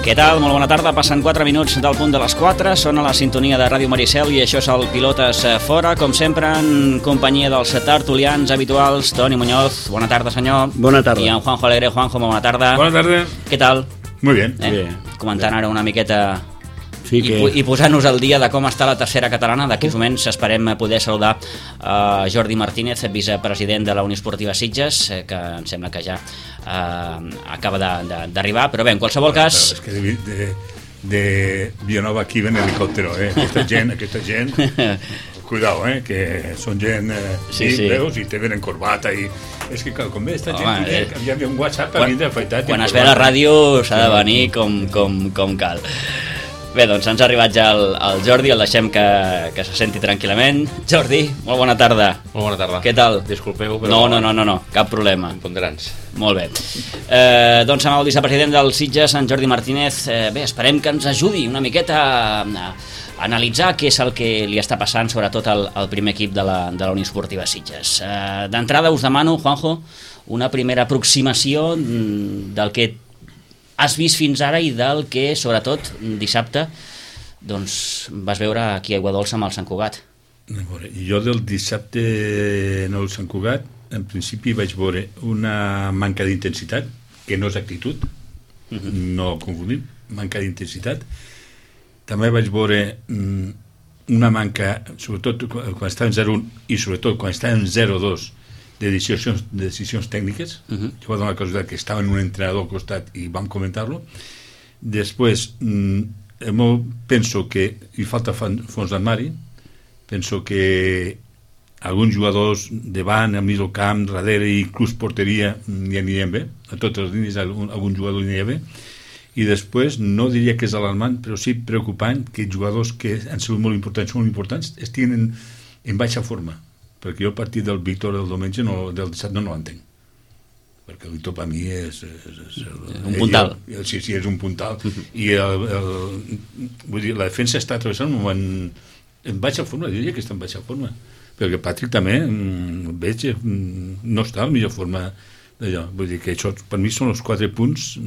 Què tal? Molt bona tarda. Passen 4 minuts del punt de les 4. Són a la sintonia de Ràdio Maricel i això és el Pilotes Fora. Com sempre, en companyia dels tertulians habituals. Toni Muñoz, bona tarda, senyor. Bona tarda. I en Juanjo Alegre. Juanjo, bona tarda. Bona tarda. Què tal? Muy bien. Comentant ara una miqueta Sí que... i posant-nos al dia de com està la tercera catalana. D'aquí uns moments esperem poder saludar Jordi Martínez, vicepresident de la Unió Esportiva Sitges, que em sembla que ja acaba d'arribar, però bé, en qualsevol cas... És que de Vilanova aquí ven helicòptero, Aquesta gent... Cuidao, que són gent... Sí. Veus, i te venen corbata i... És que com ve esta gent, hi havia un WhatsApp a mi d'afaitat... Quan es ve a la ràdio s'ha de venir com cal. Bé, doncs ens ha arribat ja el Jordi, el deixem que se senti tranquil·lament. Jordi, molt bona tarda. Molt bona tarda. Què tal? Disculpeu, però... No, cap problema. Ponderants. Molt bé. Doncs amb el vicepresident del Sitges, en Jordi Martínez, bé, esperem que ens ajudi una miqueta a analitzar què és el que li està passant, sobretot al primer equip de la Unió Esportiva Sitges. D'entrada us demano, Juanjo, una primera aproximació del que has vist fins ara i del que, sobretot, dissabte doncs, vas veure aquí a Aiguadolça amb el Sant Cugat. Jo del dissabte en el Sant Cugat, en principi vaig veure una manca d'intensitat, que no és actitud, no confundim, manca d'intensitat. També vaig veure una manca, sobretot quan estava en 0-1 i sobretot quan estava en 0-2, de decisions tècniques. Jo vaig donar la casualitat que estava en un entrenador al costat i vam comentar-lo. Després penso que hi falta fons d'armari, penso que alguns jugadors davant, al mig del camp, darrere i inclús porteria hi anirien bé, a totes les línies algun jugador hi aniria bé, i després no diria que és alarmant, però sí preocupant que jugadors que han sigut molt importants estiguin en baixa forma, perquè jo a partir del Víctor del diumenge, del dissabte no l'entenc, perquè el Víctor per mi és un puntal. Sí, és un puntal, i vull dir, la defensa està travessant un moment en baixa forma, diria que està en baixa forma, perquè Patrick també veig no està en millor forma d'allò, vull dir que això per mi són els 4 punts.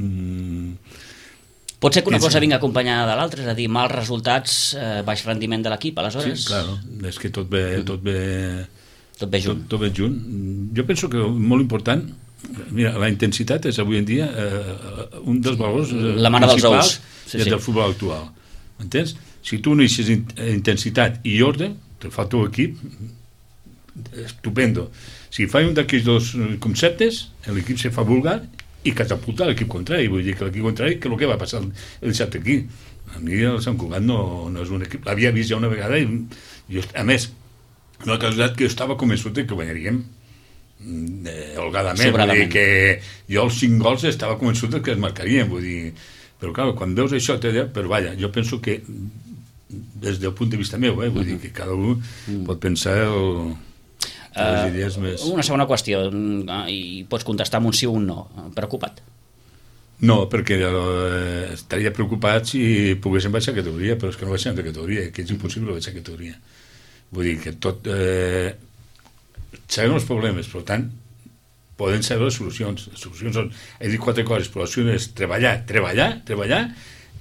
Pot ser que una cosa vinga acompanyada de l'altra, és a dir, mals resultats, baix rendiment de l'equip, aleshores? Sí, clar, és que tot ve junt. Tot ve junt. Jo penso que molt important, mira, la intensitat és avui en dia un dels valors principals del futbol actual. Entens? Si tu uneixes intensitat i ordre, te fa el teu equip, estupendo. Si fai un d'aquests dos conceptes, l'equip se fa vulgar i catapulta l'equip contrari. Vull dir que l'equip contrari, que el que va passar el dissabte aquí. A mi el Sant Cugat no és un equip, l'havia vist ja una vegada i jo, a més, una casualitat que jo estava convençut que guanyaríem holgadament, vull dir que jo els 5 gols estava convençut que es marcarien, vull dir, però clar, quan veus això però vaja, jo penso que des del punt de vista meu, vull dir que cada un pot pensar les idees més... Una segona qüestió, i pots contestar amb un sí o un no. Preocupat? No, perquè estaria preocupat si poguéssim baixar categoria, però és que no baixem de categoria, que és impossible baixar categoria. Vull dir que tot... sabem els problemes, per tant, poden saber les solucions. Les solucions són, he dit 4 coses, però la solució és treballar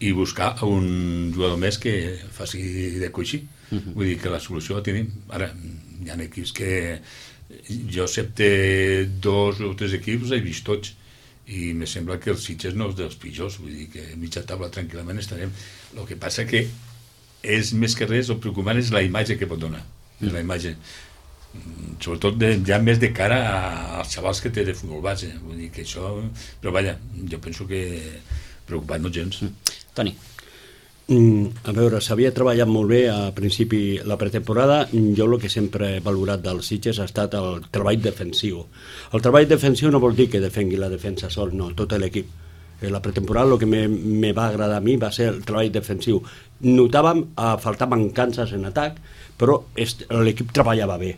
i buscar un jugador més que faci de coixí. Vull dir que la solució la tenim. Ara, hi ha equips que jo excepte 2 o 3 equips he vist tots i me sembla que el Sitges no és dels pitjors, vull dir que a mitja taula tranquil·lament estarem. El que passa que és més que res, el preocupant és la imatge que pot donar, la imatge sobretot ja més de cara als xavals que té de futbol base, vull dir que això, però vaja, jo penso que preocupat no gens. Toni. A veure, s'havia treballat molt bé a principi la pretemporada. Jo el que sempre he valorat dels Sitges ha estat el treball defensiu. El treball defensiu no vol dir que defengui la defensa sol, no, tot l'equip. La pretemporada el que me va agradar a mi va ser el treball defensiu. Notàvem a faltar mancances en atac, però l'equip treballava bé.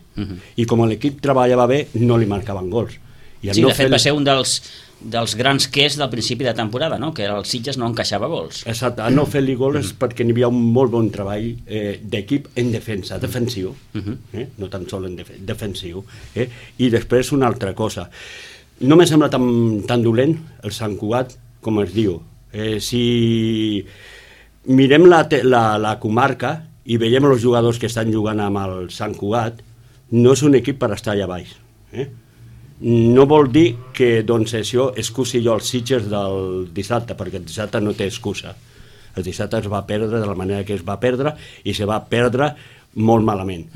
I com l'equip treballava bé, no li marcaven gols. Sí, de fet va ser un dels grans quers del principi de temporada, no? Que el Sitges no encaixava gols. Exacte, a no fer-li gols perquè n'hi havia un molt bon treball d'equip en defensa, defensiu, no tan sol en defensiu. I després una altra cosa, no me sembla tan dolent el Sant Cugat com es diu, Si mirem la comarca i veiem els jugadors que estan jugant amb el Sant Cugat, no és un equip per estar allà baix. No vol dir que doncs, això excusi jo els Sitges del dissabte, perquè el dissabte no té excusa. El dissabte es va perdre de la manera que es va perdre i se va perdre molt malament.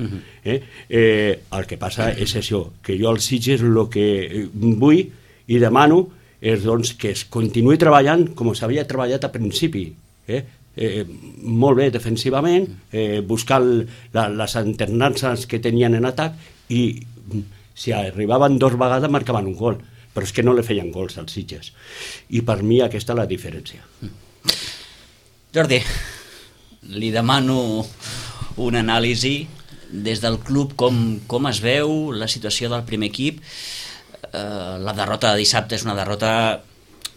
El que passa és això, que jo als Sitges el que vull i demano és doncs, que es continuï treballant com s'havia treballat al principi. Molt bé defensivament, buscar les alternances que tenien en atac i si arribaven 2 vegades marcaven un gol, però és que no li feien gols als Sitges. I per mi aquesta és la diferència. Jordi, li demano una anàlisi des del club, com es veu la situació del primer equip. La derrota de dissabte és una derrota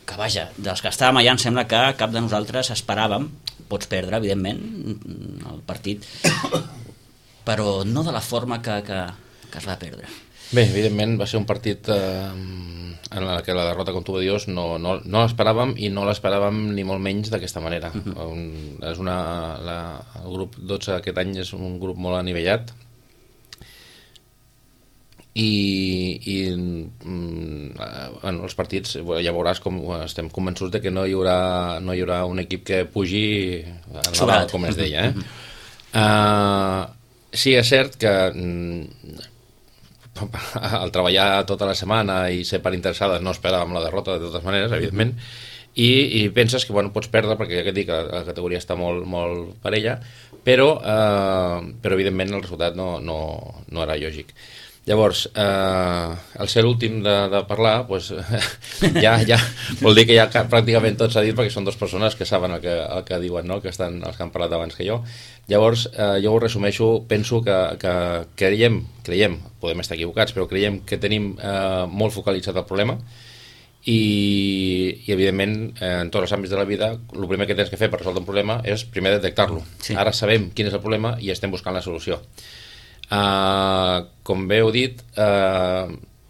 que, vaja, dels que estàvem allà em sembla que cap de nosaltres esperàvem. Pots perdre, evidentment, el partit, però no de la forma que es va perdre. Bé, evidentment va ser un partit en què la derrota, com tu dius, no l'esperàvem, i no l'esperàvem ni molt menys d'aquesta manera. El grup 12 aquest any és un grup molt anivellat, i els partits ja veuràs com estem convençuts de que no hi haurà un equip que pugi sobrat, com es deia. Sí, és cert que al treballar tota la setmana i ser part interessada no esperàvem la derrota de totes maneres, evidentment, i penses que pots perdre perquè ja que et dic, la categoria està molt, molt parella, però evidentment el resultat no era lògic. Llavors, al ser l'últim de parlar, ja vol dir que ja pràcticament tot s'ha dit, perquè són 2 persones que saben el que diuen, no? Els que han parlat abans que jo. Llavors, jo ho resumeixo, penso que creiem, podem estar equivocats, però creiem que tenim molt focalitzat el problema, i evidentment, en tots els àmbits de la vida, el primer que tens que fer per resoldre un problema és primer detectar-lo. Sí. Ara sabem quin és el problema i estem buscant la solució. Com bé heu dit,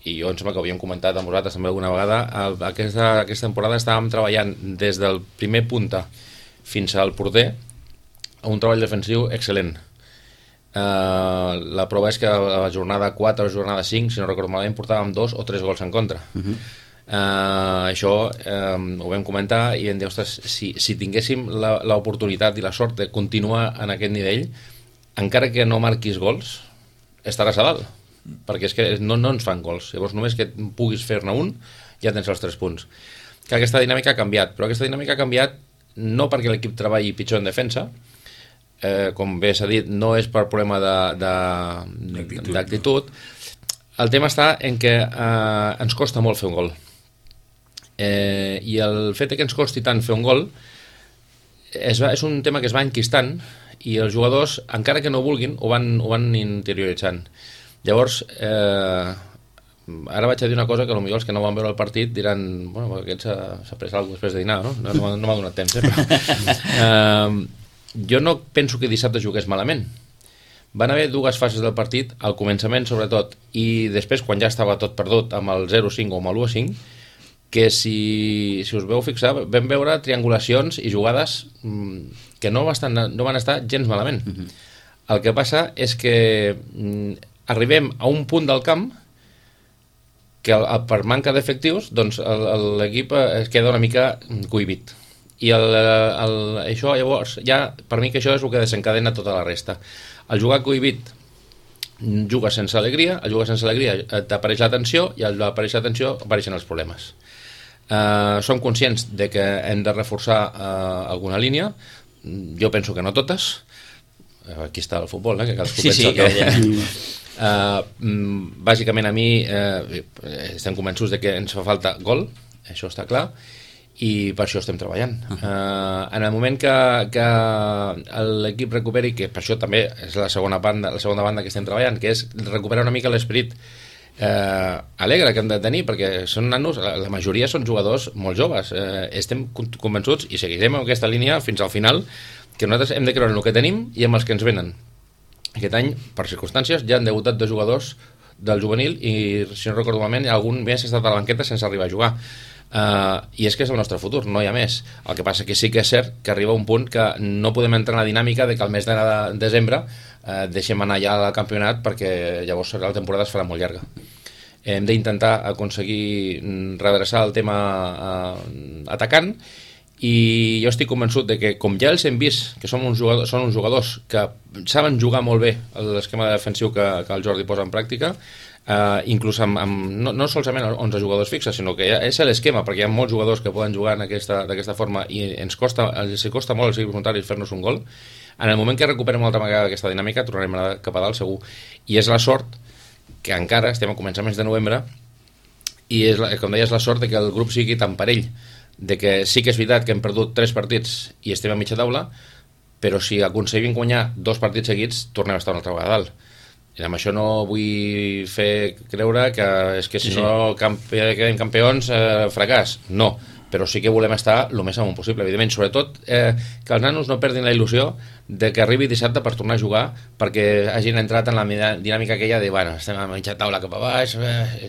i jo em sembla que ho havíem comentat amb vosaltres també alguna vegada, aquesta temporada estàvem treballant des del primer punta fins al porter a un treball defensiu excel·lent. La prova és que a la jornada 4 o la jornada 5, si no recordo malament, portàvem 2 o 3 gols en contra. Això ho vam comentar i vam dir, ostres, si tinguéssim l'oportunitat i la sort de continuar en aquest nivell, encara que no marquis gols, estaràs a dalt, perquè és que no ens fan gols. Llavors només que puguis fer-ne un ja tens els 3 punts. Que aquesta dinàmica ha canviat, però aquesta dinàmica ha canviat no perquè l'equip treballi pitjor en defensa, com bé s'ha dit, no és per problema d'actitud. El tema està en que ens costa molt fer un gol, i el fet que ens costi tant fer un gol és un tema que es va enquistant, i els jugadors, encara que no vulguin, ho van interioritzant. Llavors, ara vaig a dir una cosa que potser els que no van veure el partit diran, bueno, aquest s'ha pres alguna cosa després de dinar, no m'ha donat temps, però jo no penso que dissabte jugués malament. Van haver 2 fases del partit, al començament sobretot, i després quan ja estava tot perdut amb el 0-5 o amb el 1-5, que si us veu fixar, vam veure triangulacions i jugades que no van estar gens malament. El que passa és que arribem a un punt del camp que per manca d'efectius doncs l'equip es queda una mica cohibit, i això llavors per mi que això és el que desencadena tota la resta. Al jugar cohibit jugues sense alegria, t'apareix la tensió, i al aparèixer la tensió apareixen els problemes. Som conscients de que hem de reforçar alguna línia. Jo penso que no totes. Aquí està el futbol, que cadascú pensa que... Bàsicament a mi estem convençuts de que ens fa falta gol, això està clar, i per això estem treballant. En el moment que l'equip recuperi, que per això també és la segona banda que estem treballant, que és recuperar una mica l'esperit alegre que hem de tenir, perquè són nanos, la majoria són jugadors molt joves, estem convençuts i seguirem en aquesta línia fins al final, que nosaltres hem de creure en el que tenim i amb els que ens venen. Aquest any, per circumstàncies, ja han debutat 2 jugadors del juvenil, i si no recordo malament algun més ha estat a la banqueta sense arribar a jugar. I és que és el nostre futur, no hi ha més. El que passa que sí que és cert que arriba un punt que no podem entrar en la dinàmica de que al mes de desembre deixem anar ja al campionat, perquè llavors la temporada es farà molt llarga. Hem d'intentar aconseguir redreçar el tema atacant, i jo estic convençut de que, com ja els hem vist, que són uns jugadors que saben jugar molt bé l'esquema defensiu que el Jordi posa en pràctica, inclús no solament 11 jugadors fixes, sinó que és l'esquema, perquè hi ha molts jugadors que poden jugar d'aquesta forma i els costa molt als equips contraris fer-nos un gol. En el moment que recuperem una altra vegada aquesta dinàmica tornarem a anar cap a dalt segur, i és la sort que encara estem a començaments de novembre, i com deia, és la sort de que el grup sigui tan parell, de que sí que és veritat que hem perdut 3 partits i estem a mitja taula, però si aconseguim guanyar 2 partits seguits tornem a estar una altra vegada a dalt. I amb això no vull fer creure que és que si no quedem campions fracàs, no, però sí que volem estar el més amunt possible, evidentment, sobretot que els nanos no perdin la il·lusió de que arribi dissabte per tornar a jugar, perquè hagin entrat en la dinàmica aquella de, bueno, estem a mitja taula cap a baix,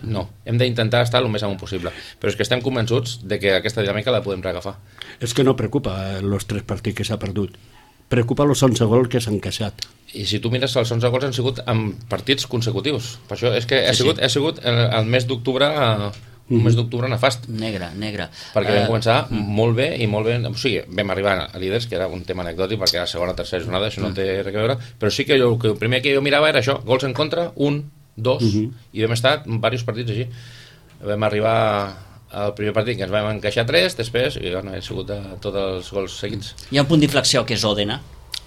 no, hem d'intentar estar el més amunt possible, però és que estem convençuts de que aquesta dinàmica la podem reagafar. És que no preocupa els 3 partits que s'ha perdut, preocupa els 11 gols que s'han queixat. I si tu mires, els 11 gols han sigut en partits consecutius, per això és que ha sigut el mes d'octubre, un mes d'octubre nefast. Negre. Perquè vam començar molt bé, o sigui, vam arribar a líders, que era un tema anecdòtic, perquè era la segona o tercera jornada, això no té res a veure, però sí que el primer que jo mirava era això, gols en contra, 1, 2, i vam estar en diversos partits així. Vam arribar al primer partit que ens vam encaixar 3, després, i bueno, ha sigut tots els gols seguits. Hi ha un punt d'inflexió que és Òdena,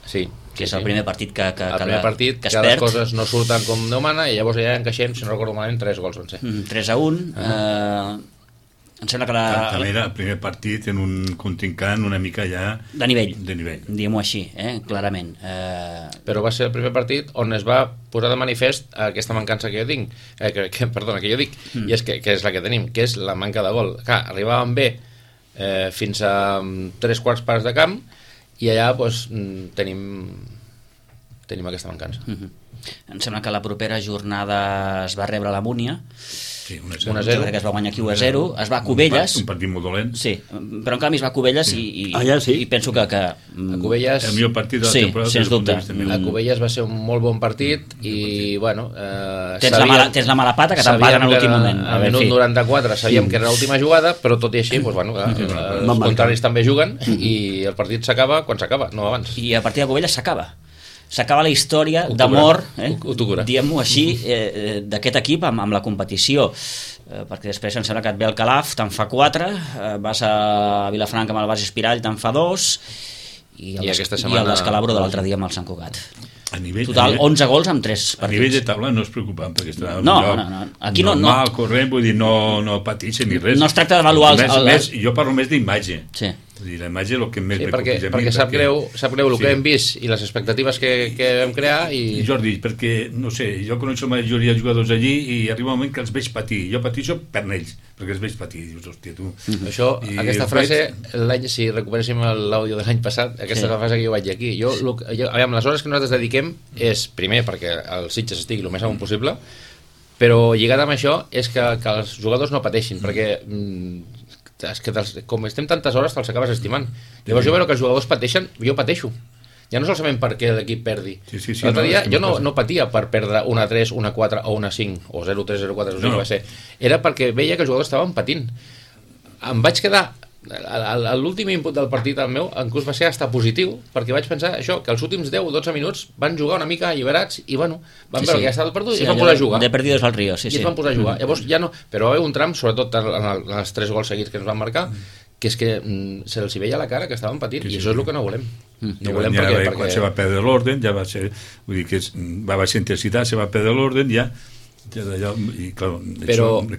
sí, que és el primer partit que es perd. Les coses no surten com Déu mana, i llavors ja encaixem, si no recordo malament, 3 gols van ser. 3-1. Em sembla que també era el primer partit en un contrincant una mica ja de nivell. Diguem-ho així, clarament. Però va ser el primer partit on es va posar de manifest aquesta mancança que jo tinc, que jo dic, i és que és la que tenim, que és la manca de gol. Clar, arribàvem bé fins a 3/4 parts de camp, i allà doncs, tenim aquesta mancança. Em sembla que la propera jornada es va rebre la Múnia, sí, 1-0. Que es va guanyar aquí 1-0, es va a Cubelles, un partit molt dolent, sí, però en canvi es va a Cubelles i penso que a Cubelles, el millor partit de la temporada, sens dubte. A Cubelles va ser un molt bon partit i bueno, tens la mala pata que te'n paguen a l'últim moment. Al minut 94 sabíem que era l'última jugada, però tot i així els contraris també juguen i el partit s'acaba quan s'acaba, no abans. I a partir de Cubelles s'acaba la història d'amor, diguem-ho així, d'aquest equip amb la competició, perquè després em sembla que et ve el Calaf, te'n fa 4, vas a Vilafranca amb el Bas Espirall, te'n fa 2, i el descalabro de l'altre dia amb el Sant Cugat. Total, 11 gols amb 3 partits. A nivell de taula no és preocupant, perquè estarà no. Aquí normal, corrent, vull dir, no pateixen ni res. No es tracta d'avaluar jo parlo més d'imatge. Sí. La imatge és el que més perquè sap greu el que hem vist i les expectatives que vam crear i Jordi, perquè, no sé, jo coneixo la majoria de jugadors allí i arriba un moment que els veig patir, jo pateixo per ells perquè els veig patir, dius, hòstia, tu aquesta frase, si recuperéssim l'àudio de l'any passat, aquesta és la frase que jo vaig dir aquí, les hores que nosaltres dediquem és, primer, perquè el Sitges estigui el més amunt possible, però lligat amb això és que els jugadors no pateixin, perquè és que com estem tantes hores te'ls acabes estimant. Llavors jo veure que els jugadors pateixen, jo pateixo. Ja no solament perquè l'equip perdi. L'altre dia jo no patia per perdre 1-3, 1-4 o 1-5 o 0-3, 0-4, no va ser. Era perquè veia que els jugadors estaven patint. Em vaig quedar l'últim input del partit el meu inclús va ser hasta positiu, perquè vaig pensar això, que els últims 10 o 12 minuts van jugar una mica alliberats i bueno, van veure que ja estava perdut i es van posar a jugar de perdidos al río, i es van posar a jugar. Llavors ja no, però va haver un tram, sobretot en els 3 gols seguits que ens van marcar, que és que se'ls veia la cara que estaven patint i això és el que no volem. No volem perquè quan se va perdre l'orden ja va ser, vull dir que va baixar intensitat, se va perdre l'orden ja i clar,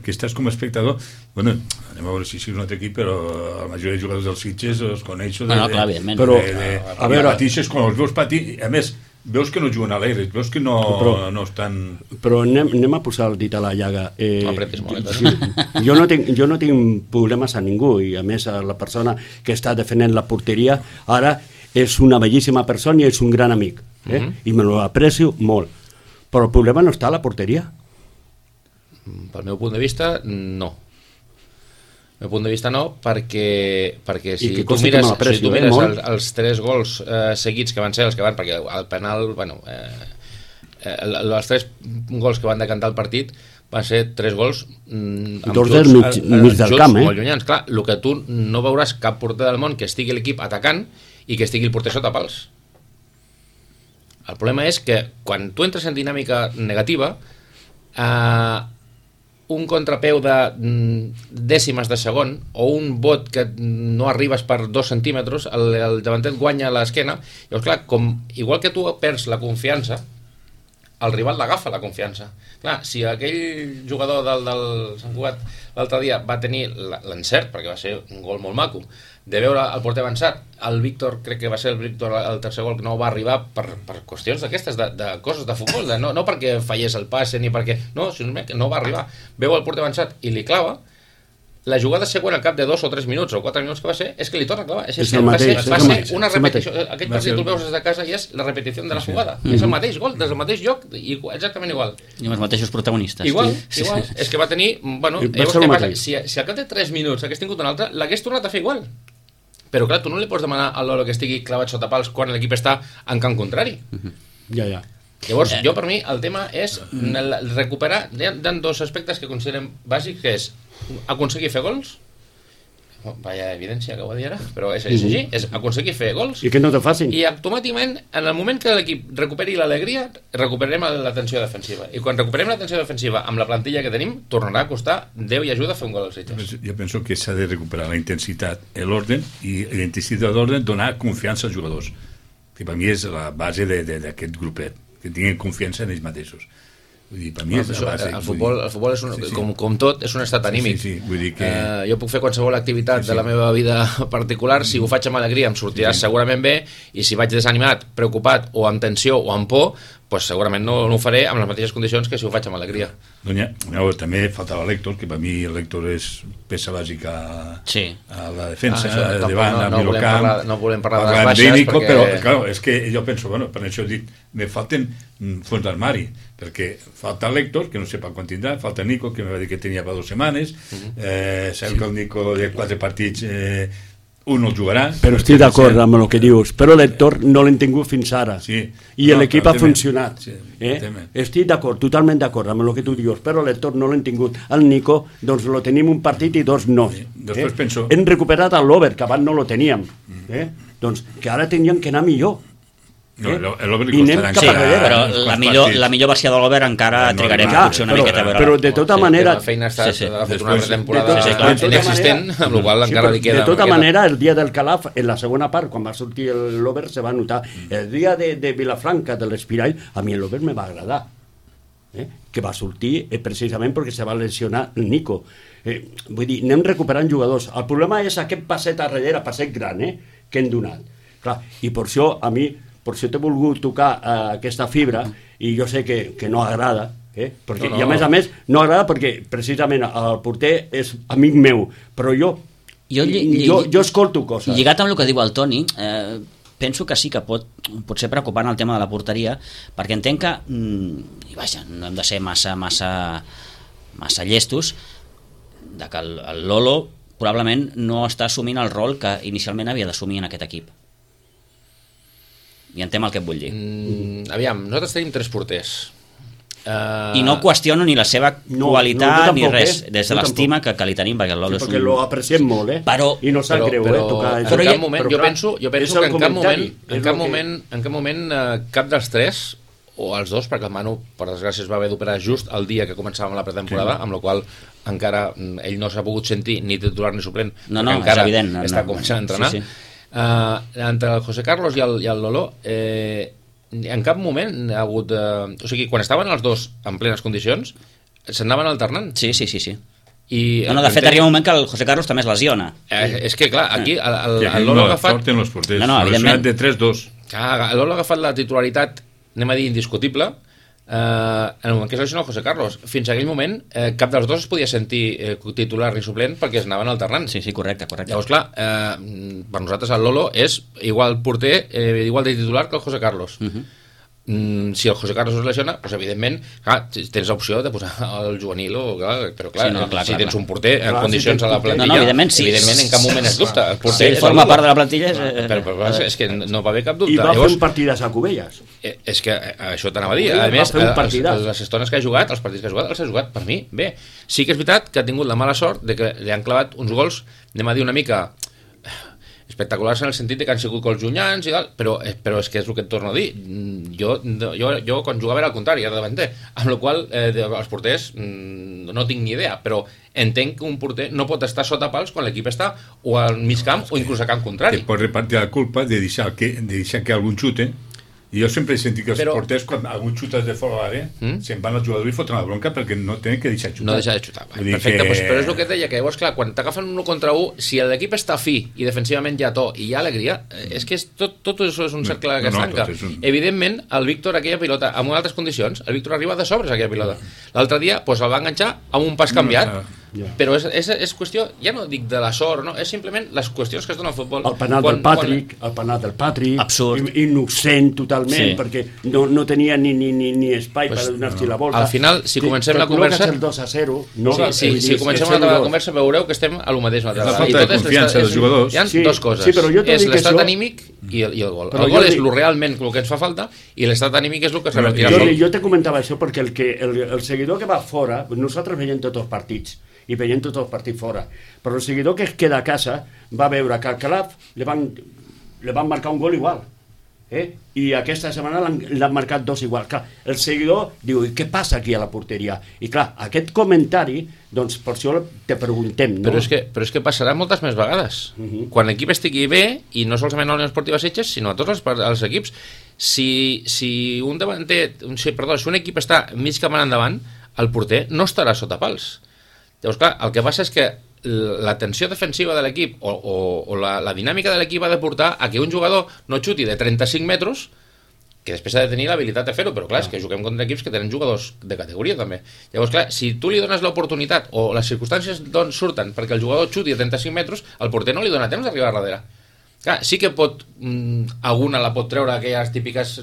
que estàs com a espectador, bueno, anem a veure si és un altre equip, però la majoria de jugadors dels Sitges els coneixo però a veure, patixes quan els veus patir, a més veus que no juguen alegres, veus que no estan... Però anem a posar el dit a la llaga. Jo no tinc problemes a ningú i a més la persona que està defendent la porteria ara és una bellíssima persona i és un gran amic i me lo aprecio molt, però el problema no està a la porteria. Pel meu punt de vista, no. meu punt de vista no, perquè si que tu costa mires, que me l'aprecio, si tu mires molt. els 3 gols seguits que van ser els que van, perquè el penal, bueno, els 3 gols que van decantar el partit van ser 3 gols amb dos del mig del camp, molt llunyans. Clar, el que tu no veuràs cap porter del món que estigui l'equip atacant i que estigui el porter sota pals. El problema és que quan tu entres en dinàmica negativa, un contrapeu de dècimes de segon o un bot que no arribes per 2 centímetres, el davanter guanya l'esquena. Llavors, clar, igual que tu perds la confiança, el rival l'agafa la confiança. Clar, si aquell jugador del Sant Cugat l'altre dia va tenir l'encert, perquè va ser un gol molt maco, de veure el porter avançat, el Víctor, crec que va ser el tercer gol que no va arribar per qüestions d'aquestes, de coses de futbol, no perquè fallés el passe ni perquè, no, sinó que no va arribar, veu el porter avançat i li clava. La jugada següent al cap de 2 o 3 minuts o 4 minuts que va ser és que li torna a clavar. Va ser una repetició. Aquell partit tu el veus des de casa i és la repetició de la jugada. És el mateix gol, des del mateix lloc, exactament igual. I amb els mateixos protagonistes. Igual. És que va tenir... Bueno, llavors què passa? Si al cap de 3 minuts hagués tingut un altre, l'hagués tornat a fer igual. Però clar, tu no li pots demanar a l'Olo que estigui clavat sota pals quan l'equip està en camp contrari. Ja. Llavors, jo per mi el tema és recuperar, hi ha 2 aspectes que considerem bàsics, que és aconseguir fer gols, vaya evidència que ho va dir ara, però és així, és aconseguir fer gols, i que no te facin. I automàticament, en el moment que l'equip recuperi l'alegria, recuperarem l'atenció defensiva, i quan recuperem l'atenció defensiva amb la plantilla que tenim, tornarà a costar Déu i ajuda a fer un gol als Sitges. Jo penso que s'ha de recuperar la intensitat, l'ordre, i la intensitat d'ordre donar confiança als jugadors, que per mi és la base d'aquest grupet, que tinguin confiança en ells mateixos. Vull dir, per mi és la base. El futbol és com tot, és un estat anímic. Sí, vull dir que... Jo puc fer qualsevol activitat de la meva vida particular, si ho faig amb alegria em sortirà segurament bé, i si vaig desanimat, preocupat, o amb tensió, o amb por, pues segurament no ho faré amb les mateixes condicions que si ho faig amb alegria. També faltava l'Héctor, que per mi l'Héctor és peça bàsica a la defensa, davant, a Milocamp. No volem parlar de les baixes, perquè... Però, clar, és que jo penso, per això he dit, me falten fons d'armari, perquè falta l'Héctor, que no sé quan tindrà, falta Nico, que me va dir que tenia per 2 setmanes, sabem que el Nico de 4 partits un no el jugarà. Però estic d'acord amb el que dius, però l'Héctor no l'hem tingut fins ara, i l'equip ha funcionat. Estic d'acord, totalment d'acord amb el que tu dius, però l'Héctor no l'hem tingut. El Nico, doncs lo tenim un partit i 2 no. Hem recuperat l'Over, que abans no lo teníem. Doncs que ara tenien que anar millor. I anem cap enrere. Però la millor versió de l'Over encara trigarem potser una miqueta a veure. Però de tota manera... La feina ha fet una temporada inexistent, amb la qual encara li queda... De tota manera, el dia del Calaf, en la segona part, quan va sortir l'Over, se va notar. El dia de Vilafranca, de l'Espirall, a mi l'Over me va agradar. Que va sortir precisament perquè se va lesionar el Nico. Vull dir, anem recuperant jugadors. El problema és aquest passet a darrere, passet gran, que hem donat. Clar, i per això, a mi... Per això t'he volgut tocar aquesta fibra i jo sé que no agrada, perquè, i a més no agrada perquè precisament el porter és amic meu, però jo escolto coses. Lligat amb el que diu el Toni, penso que sí que pot ser preocupant el tema de la porteria, perquè entenc que, i vaja, no hem de ser massa llestos, de que el Lolo probablement no està assumint el rol que inicialment havia d'assumir en aquest equip. I entenc el que et vull dir. Aviam, nosaltres tenim 3 porters. I no qüestiono ni la seva qualitat ni res, des de l'estima que li tenim, perquè el Lolo és un... Perquè lo apreciem molt, i no sap greu, tocar... Però en cap moment, jo penso que en cap moment cap dels 3, o els 2, perquè el Manu, per desgràcia, es va haver d'operar just el dia que començàvem la pretemporada, amb la qual encara ell no s'ha pogut sentir ni titular ni suplent, perquè encara està començant a entrenar. Entre el José Carlos i el Lolo, en cap moment ha hagut... O sigui, quan estaven els dos en plenes condicions, s'anaven alternant. Sí. De fet, arriba un moment que el José Carlos també es lesiona. És que, clar, aquí el Lolo ha agafat... evidentment. De 3-2. El Lolo ha agafat la titularitat, anem a dir, indiscutible, en el moment que es lesiona el José Carlos. Fins a aquell moment, cap dels dos es podia sentir titular ni suplent perquè es anaven alternant. Sí, correcte. Llavors, clar, per nosaltres el Lolo és igual porter, igual de titular que el José Carlos. si el José Carlos es lesiona, doncs evidentment tens l'opció de posar el juvenil però clar, si tens un porter en condicions a la plantilla, evidentment en cap moment es dubta, el porter forma part de la plantilla però és que no va haver cap dubte. I va fer un partidàs a Cubelles. És que això t'anava a dir, a més les estones que ha jugat, els partits que ha jugat els ha jugat per mi bé. Sí que és veritat que ha tingut la mala sort de que li han clavat uns gols, anem a dir una mica espectaculars en el sentit de que han sigut gols llunyans i tal, però és que és el que et torno a dir. Jo quan jugava era al contrari, era davanter, amb la qual els porters no tinc ni idea, però entenc que un porter no pot estar sota pals quan l'equip està o al mig camp o inclús a camp contrari. Te pot repartir la culpa de deixar que algun xute. I jo sempre he sentit que els porters, quan algun xutes de fora l'àrea, se'n van al jugador i foten la bronca perquè no tenen que deixar xutar. No deixar de xutar. Perfecte, però és el que et deia, que llavors, clar, quan t'agafen 1 contra 1, si l'equip està fi i defensivament hi ha to i hi ha alegria, és que tot això és un cercle que es tanca. Evidentment, el Víctor, aquella pilota, en altres condicions, el Víctor arriba de sobres, aquella pilota. L'altre dia el va enganxar amb un pas canviat, però és qüestió, ja no dic de la sort, no? És simplement les qüestions que es donen al futbol. El penal del Patrick, absurd, innocent totalment, perquè no tenia ni espai per donar-s'hi la volta. Al final, si comencem la conversa, el 2-0, si comencem la conversa veureu que estem a lo mateix. La falta de confiança dels jugadors. Hi ha dues coses, és l'estat anímic i el gol. El gol és realment el que ens fa falta i l'estat anímic és el que s'ha de jo te comentava això perquè el seguidor que va fora, nosaltres veiem tots els partits i veiem tots els partits fora, però el seguidor que es queda a casa va veure que al Calaf li van marcar un gol igual, i aquesta setmana l'han marcat 2 igual. Clar, el seguidor diu, què passa aquí a la porteria? I clar, aquest comentari, doncs per això te preguntem, no? Però és que passarà moltes més vegades. Quan l'equip estigui bé, i no solament a l'Unió Esportiva Sitges, sinó a tots els equips, si un equip està mig camp endavant, el porter no estarà sota pals. Llavors, clar, el que passa és que la tensió defensiva de l'equip o la dinàmica de l'equip ha de portar a que un jugador no xuti de 35 metres, que després ha de tenir l'habilitat de fer-ho, però clar, és que juguem contra equips que tenen jugadors de categoria també. Llavors, clar, si tu li dones l'oportunitat o les circumstàncies surten perquè el jugador xuti a 35 metres, el porter no li dona temps d'arribar a darrere. Clar, sí que alguna la pot treure aquelles típiques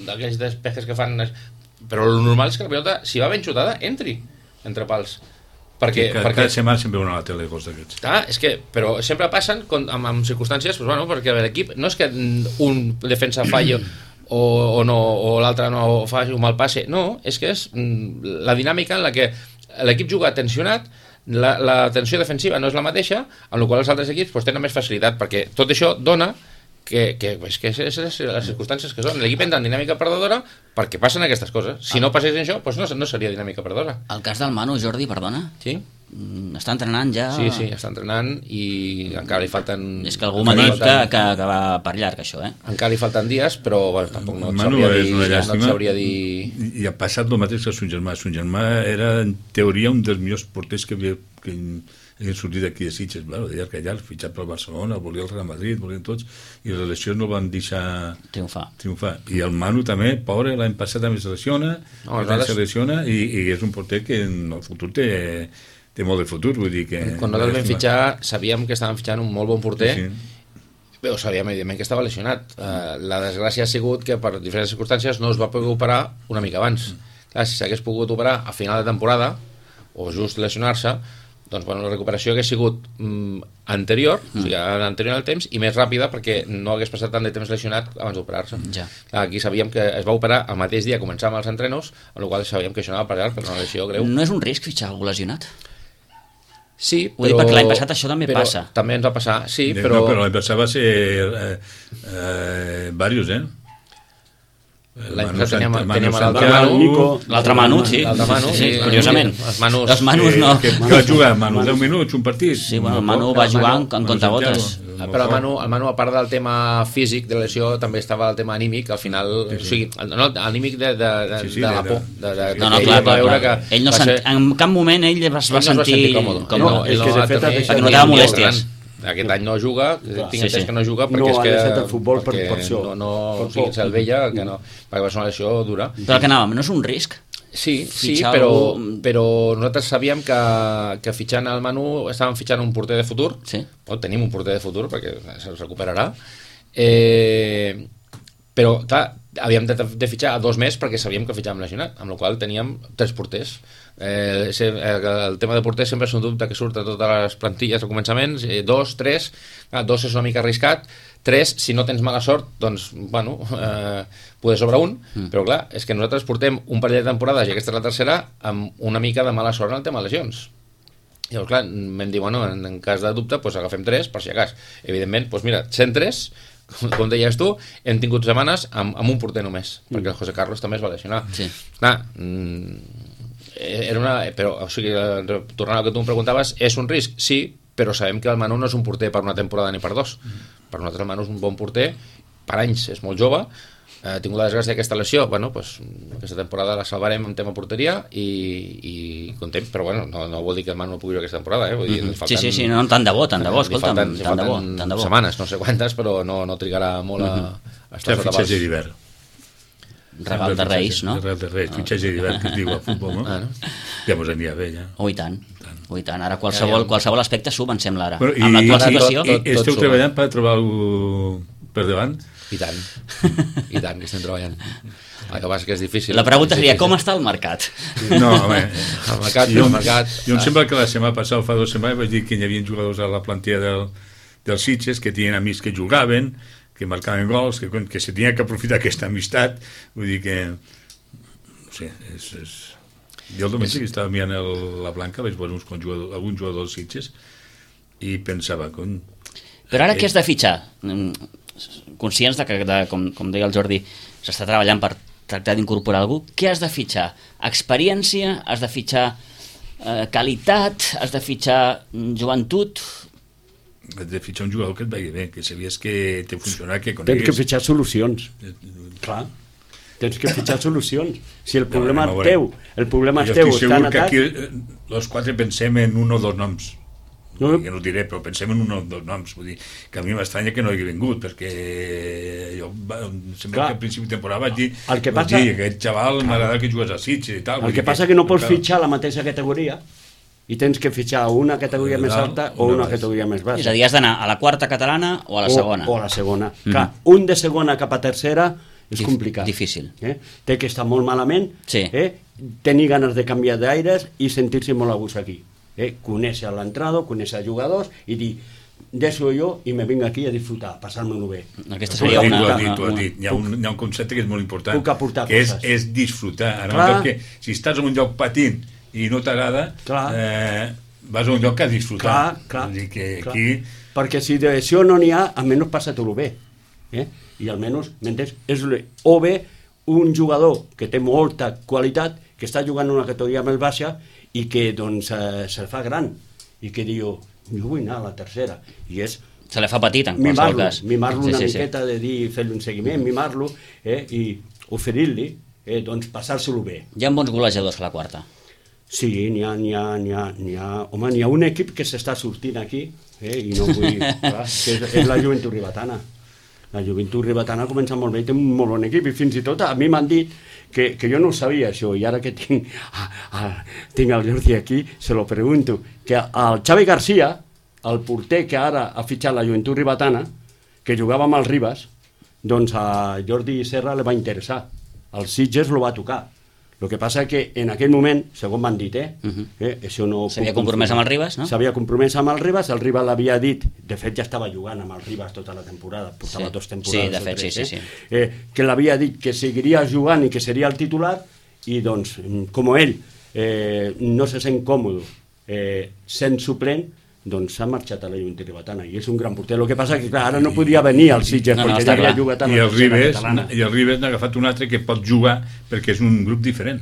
d'aquells despejes que fan, però el normal és que la pilota, si va ben xutada, entri entre pals. Perquè cada setmana sempre veuen a la tele coses d'aquests. És que, però sempre passen amb circumstàncies, perquè l'equip no és que un defensa falli o l'altre no faci un mal passe, no, és que és la dinàmica en la que l'equip juga tensionat, la tensió defensiva no és la mateixa, amb la qual els altres equips tenen més facilitat, perquè tot això dona que és les circumstàncies que són. L'equip entra en dinàmica perdedora perquè passen aquestes coses. Si no passés això, no seria dinàmica perdedora. El cas del Manu, Jordi, perdona? Sí. Està entrenant ja? Sí, està entrenant i encara li falten... És que algú m'ha dit que va per llarg, això, Encara li falten dies, però tampoc no et sabria dir... I ha passat el mateix que son germà. Son germà era, en teoria, un dels millors porters que havien sortit d'aquí de Sitges, de llarg a llarg, fitxat pel Barcelona, volia el Real Madrid, volien tots, i les lesions no el van deixar triomfar. I el Manu també, pobre, l'any passat també se lesiona, i és un porter que en el futur té molt de futur, vull dir que... Quan nosaltres vam fitxar, sabíem que estàvem fitxant un molt bon porter, però sabíem evidentment que estava lesionat. La desgràcia ha sigut que per diferents circumstàncies no es va poder operar una mica abans. Clar, si s'hagués pogut operar a final de temporada, o just lesionar-se, doncs la recuperació hagués sigut anterior, o sigui, anterior al temps, i més ràpida perquè no hagués passat tant de temps lesionat abans d'operar-se. Aquí sabíem que es va operar el mateix dia, començàvem els entrenos, amb la qual cosa sabíem que això anava per llarg, per una lesió greu. No és un risc fitxar algú lesionat? Sí, però... Ho dic perquè l'any passat això també passa. També ens va passar, sí, però... No, però l'any passat va ser diversos, L'any passat teníem l'altre Manu, sí, curiosament. Els Manus no. Que va jugar Manu 10 minuts, un partit. Sí, el Manu va jugar en comptagotes. Però el Manu, a part del tema físic de lesió, també estava el tema anímic, al final, o sigui, l'anímic de la por. No, clar. Ell no en cap moment ell es va sentir còmode. Perquè notava molèsties. Aquest any no juga, tinc entès que no juga perquè és que no sigui el vella, perquè va ser una lesió dura. Però que anàvem, no és un risc? Sí, però nosaltres sabíem que fitxant el Manu estàvem fitxant un porter de futur, tenim un porter de futur perquè se'l recuperarà, però clar, havíem de fitxar 2 més perquè sabíem que fitxàvem lesionat, amb la qual teníem 3 porters. El tema de porters sempre és un dubte que surt a totes les plantilles al començament, 2, 3, 2 és una mica arriscat, 3, si no tens mala sort, doncs, bueno, poder sobre un, però clar, és que nosaltres portem un parell de temporades, i aquesta és la tercera, amb una mica de mala sort en el tema de lesions. Llavors, clar, vam dir, bueno, en cas de dubte, doncs agafem 3, per si acas. Evidentment, doncs mira, 103, com deies tu, hem tingut setmanes amb un porter només, perquè el José Carlos també es va lesionar. Sí. Clar, era una... Però, o sigui, tornant al que tu em preguntaves, és un risc? Sí, però sabem que el Manu no és un porter per una temporada ni per 2. Per nosaltres el Manu és un bon porter, per anys, és molt jove, ha tingut la desgràcia d'aquesta lesió, bueno, pues, aquesta temporada la salvarem en tema porteria i contem, però bueno, no vol dir que el Manu no pugui jugar aquesta temporada, vull dir, falten, sí, no, tant de bo, escolta'm, tant de bo. Setmanes, no sé quantes, però no trigarà molt a estar sota fitxatge d'hivern. Regal de Reis, no? Regal de Reis, fitxatge d'hivern, que es diu a futbol, no? Ja mos aniria bé, ja. I tant. Ara qualsevol aspecte sub, em sembla, ara. Bueno, amb l'actual situació... I esteu treballant per trobar algú per davant? I tant que estem treballant. El que passa que és difícil. La pregunta seria, com està el mercat? No, home, el mercat... Jo em sembla que la setmana passada, fa 2 setmanes, vaig dir que hi havia jugadors a la plantilla dels Sitges que tenien amics que jugaven, que marcaven gols, que se tenia que aprofitar aquesta amistat. Vull dir que... No sé, és... Jo el diumenge que estava mirant la Blanca, vaig veure algun jugador dels Sitges i pensava... Però ara què has de fitxar? Conscients de que, com deia el Jordi, s'està treballant per tractar d'incorporar algú, què has de fitxar? Experiència? Has de fitxar qualitat? Has de fitxar joventut? Has de fitxar un jugador que et vagi bé, que sabies que te funcionarà, que conegues. Tens que fitxar solucions. Clar. Tens que fitxar solucions. Si el problema teu, està en atac... Jo estic segur que aquí els 4 pensem en 1 o 2 noms. Que no ho diré, però pensem en 1 o 2 noms. Vull dir que a mi m'estranya que no hagi vingut, perquè jo sempre que al principi de temporada vaig dir aquest xaval m'agrada que jugués a Sitges i tal. El que passa que no pots fitxar la mateixa categoria i tens que fitxar una categoria més alta o una categoria més baixa. És a dir, has d'anar a la quarta catalana o a la segona. O a la segona. Clar, un de segona cap a tercera és complicat. Difícil. Té que estar molt malament, tenir ganes de canviar d'aires i sentir-se molt a gust aquí. Conèixer l'entrada, conèixer els jugadors i dir, deixo jo i me vinc aquí a disfrutar, a passar-me-ho bé. Aquesta seria una... Tu has dit. Hi ha un concepte que és molt important. Puc aportar coses. Que és disfrutar. Que si estàs en un lloc patint i no t'agrada, vas a un lloc a disfrutar. Clar. Aquí... Perquè si d'això no n'hi ha, almenys passa-t'ho bé. I almenys, m'entens? És o bé un jugador que té molta qualitat, que està jugant en una categoria més baixa i que doncs se fa gran i que diu, jo vull anar a la tercera, i és se li fa petit en qualsevol cas, mimar-lo una miqueta de dir, fer-li un seguiment, mimar-lo i oferir-li doncs passar-se-lo bé. Hi ha bons golejadors a la quarta? Sí, n'hi ha un equip que s'està sortint aquí i no vull, clar, que és la Joventut Ribetana. La Joventut Ribetana comença molt bé i té un molt bon equip, i fins i tot a mi m'han dit que jo no ho sabia això, i ara que tinc el Jordi aquí, se lo pregunto, que el Xavi García, el porter que ara ha fitxat la Joventut Ribetana, que jugava amb el Ribas, doncs a Jordi Serra li va interessar, el Sitges lo va tocar. El que passa que en aquell moment, segons m'han dit, això no... S'havia compromès amb el Ribas, no? S'havia compromès amb el Ribas l'havia dit, de fet ja estava jugant amb el Ribas tota la temporada, portava 2 temporades. Sí, de fet, sí. Que l'havia dit que seguiria jugant i que seria el titular, i doncs, com ell no se sent còmode sent suplent, doncs s'ha marxat a la Joventut Ribetana i és un gran porter. El que passa que clar, ara no podia venir al Sitges perquè ja havia jugat a la tercera catalana. I el Ribes n'ha agafat un altre que pot jugar perquè és un grup diferent.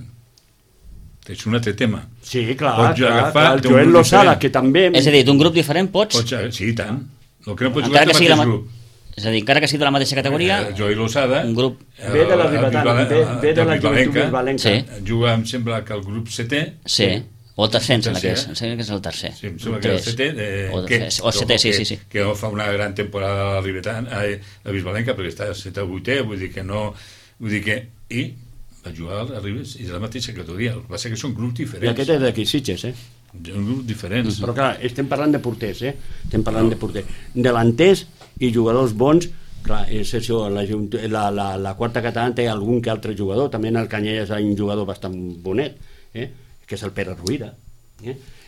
És un altre tema. Sí, clar, el Joel Lozada, que també... És a dir, d'un grup diferent pots... Sí, i tant. El que no pots jugar és el mateix grup. És a dir, encara que sigui de la mateixa categoria... Joel Lozada... Un grup... Ve de la Ribetana, ve de la Joventut Bisbalenca. Juga, em sembla que el grup 7è... Sí. O el tercer, em sembla que és el tercer. Sí, em sembla que és el setè. O el setè, sí. Que fa una gran temporada a Bisbalenca, perquè està 7è o 8è, vull dir que no... Vull dir que... I va jugar a Ribes, i és la mateixa categoria. Va ser que són grups diferents. I aquest és d'aquí, Sitges, Un grup diferents. Però clar, estem parlant de porters, Estem parlant de porters. Delanters i jugadors bons Clar, és això, la quarta catalana té algun que altre jugador, també en el Canyelles hi ha un jugador bastant bonet, que és el Pere Ruïda.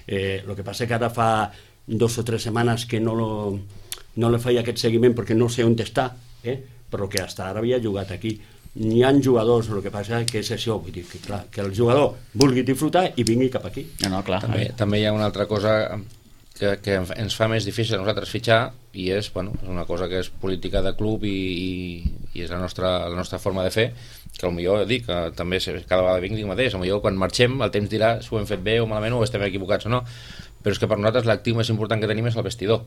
El que passa que ara fa 2 o 3 setmanes que no le feia aquest seguiment perquè no sé on està, però que fins ara havia jugat aquí. N'hi ha jugadors, el que passa que és això, vull dir que, clar, que el jugador vulgui disfrutar i vingui cap aquí. No, clar. També hi ha una altra cosa que ens fa més difícil a nosaltres fitxar, i és una cosa que és política de club i és la nostra forma de fer, que potser dic que també cada vegada dic mateix, potser quan marxem el temps dirà si ho hem fet bé o malament o estem equivocats o no, però és que per nosaltres l'actiu més important que tenim és el vestidor.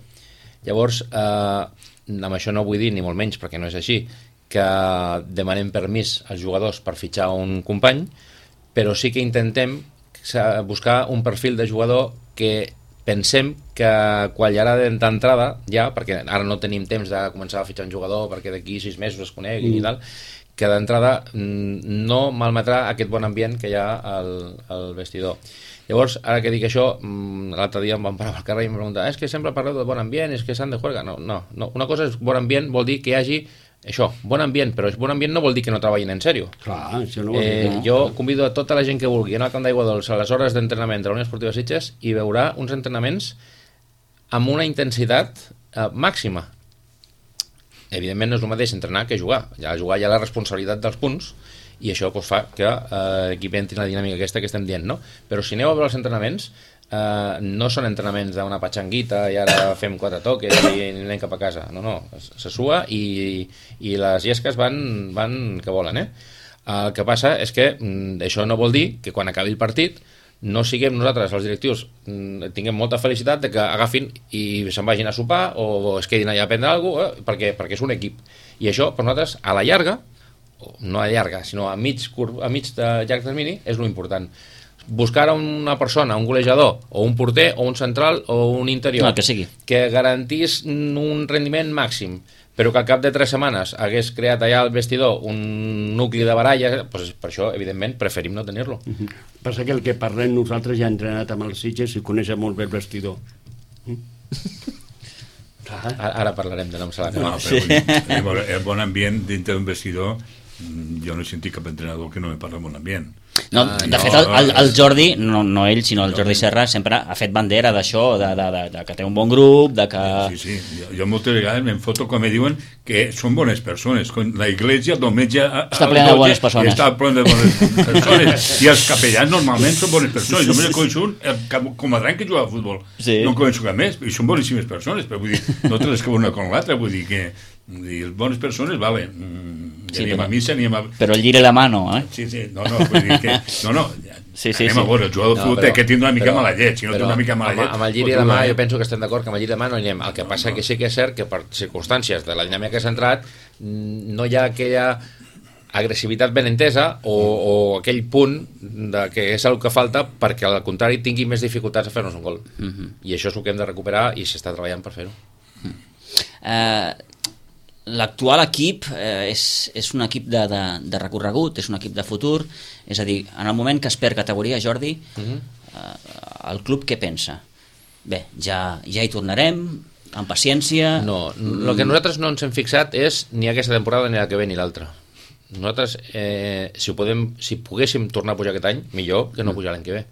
Llavors, amb això no vull dir ni molt menys, perquè no és així, que demanem permís als jugadors per fitxar un company, però sí que intentem buscar un perfil de jugador que pensem que quan hi ha d'entrada, ja, perquè ara no tenim temps de començar a fitxar un jugador perquè d'aquí 6 mesos es coneguin i tal, que d'entrada no malmetrà aquest bon ambient que hi ha al vestidor. Llavors, ara que dic això, l'altre dia em van parar al carrer i em preguntar és que sempre parleu de bon ambient, és que s'han de jugar. No. Una cosa és bon ambient, vol dir que hi hagi això, bon ambient, però bon ambient no vol dir que no treballin en sèrio. Clar, això no vol dir. Jo convido a tota la gent que vulgui anar al Camp d'Aigua Dolça a les hores d'entrenament de la Unió Esportiva Sitges i veurà uns entrenaments amb una intensitat màxima. Evidentment no és el mateix entrenar que jugar. Ja jugar hi ha la responsabilitat dels punts i això fa que l'equip entri en la dinàmica aquesta que estem dient, no? Però si aneu a veure els entrenaments, no són entrenaments d'una patxanguita i ara fem 4 toques i anem cap a casa. No, se sua i les llesques van que volen, El que passa és que això no vol dir que quan acabi el partit no siguem nosaltres, els directius, tinguem molta felicitat de que agafin i se'n vagin a sopar o es quedin allà a prendre alguna cosa, perquè és un equip. I això, per nosaltres, a la llarga, no a llarga, sinó a mig de llarg termini, és lo important. Buscar una persona, un golejador, o un porter, o un central, o un interior, que garantís un rendiment màxim, però que al cap de 3 setmanes hagués creat allà al vestidor un nucli de baralla, doncs per això, evidentment, preferim no tenir-lo. Passa que el que parlem nosaltres ja hem entrenat amb els Sitges i coneixem molt bé el vestidor. Ara parlarem de noms a la cara. El bon ambient dintre d'un vestidor, jo no he sentit cap entrenador que no me parla de bon ambient. No, de fet, el Jordi, no ell, sinó el Jordi Serra, sempre ha fet bandera d'això, de que té un bon grup, de que... Sí. Jo moltes vegades me'n foto quan me diuen que són bones persones. La iglesia, el diumenge... Està plena de bones persones. Està plena de bones persones. I els capellans normalment són bones persones. Jo me coneixo un comandant que juga a futbol. No coneixo cap més, i són boníssimes persones, però vull dir, no te les que una con l'altra, vull dir que... bones persones, vale, anem a missa, però el lliri la mano, Sí, no, vull dir que anem a veure, el jugador de futbol que tindre una mica mala llet, si no té una mica mala llet... Amb el lliri de mà jo penso que estem d'acord que amb el lliri de mà no anirem. El que passa que sí que és cert que per circumstàncies de la dinàmica que s'ha entrat no hi ha aquella agressivitat ben entesa o aquell punt que és el que falta perquè al contrari tingui més dificultats a fer-nos un gol. I això és el que hem de recuperar i s'està treballant per fer-ho. L'actual equip és un equip de recorregut, és un equip de futur, és a dir, en el moment que es perd categoria, Jordi, el club què pensa? Bé, ja hi tornarem, amb paciència... No, el que nosaltres no ens hem fixat és ni aquesta temporada ni la que ve ni l'altra. Nosaltres, si poguéssim tornar a pujar aquest any, millor que no pujar l'any que ve.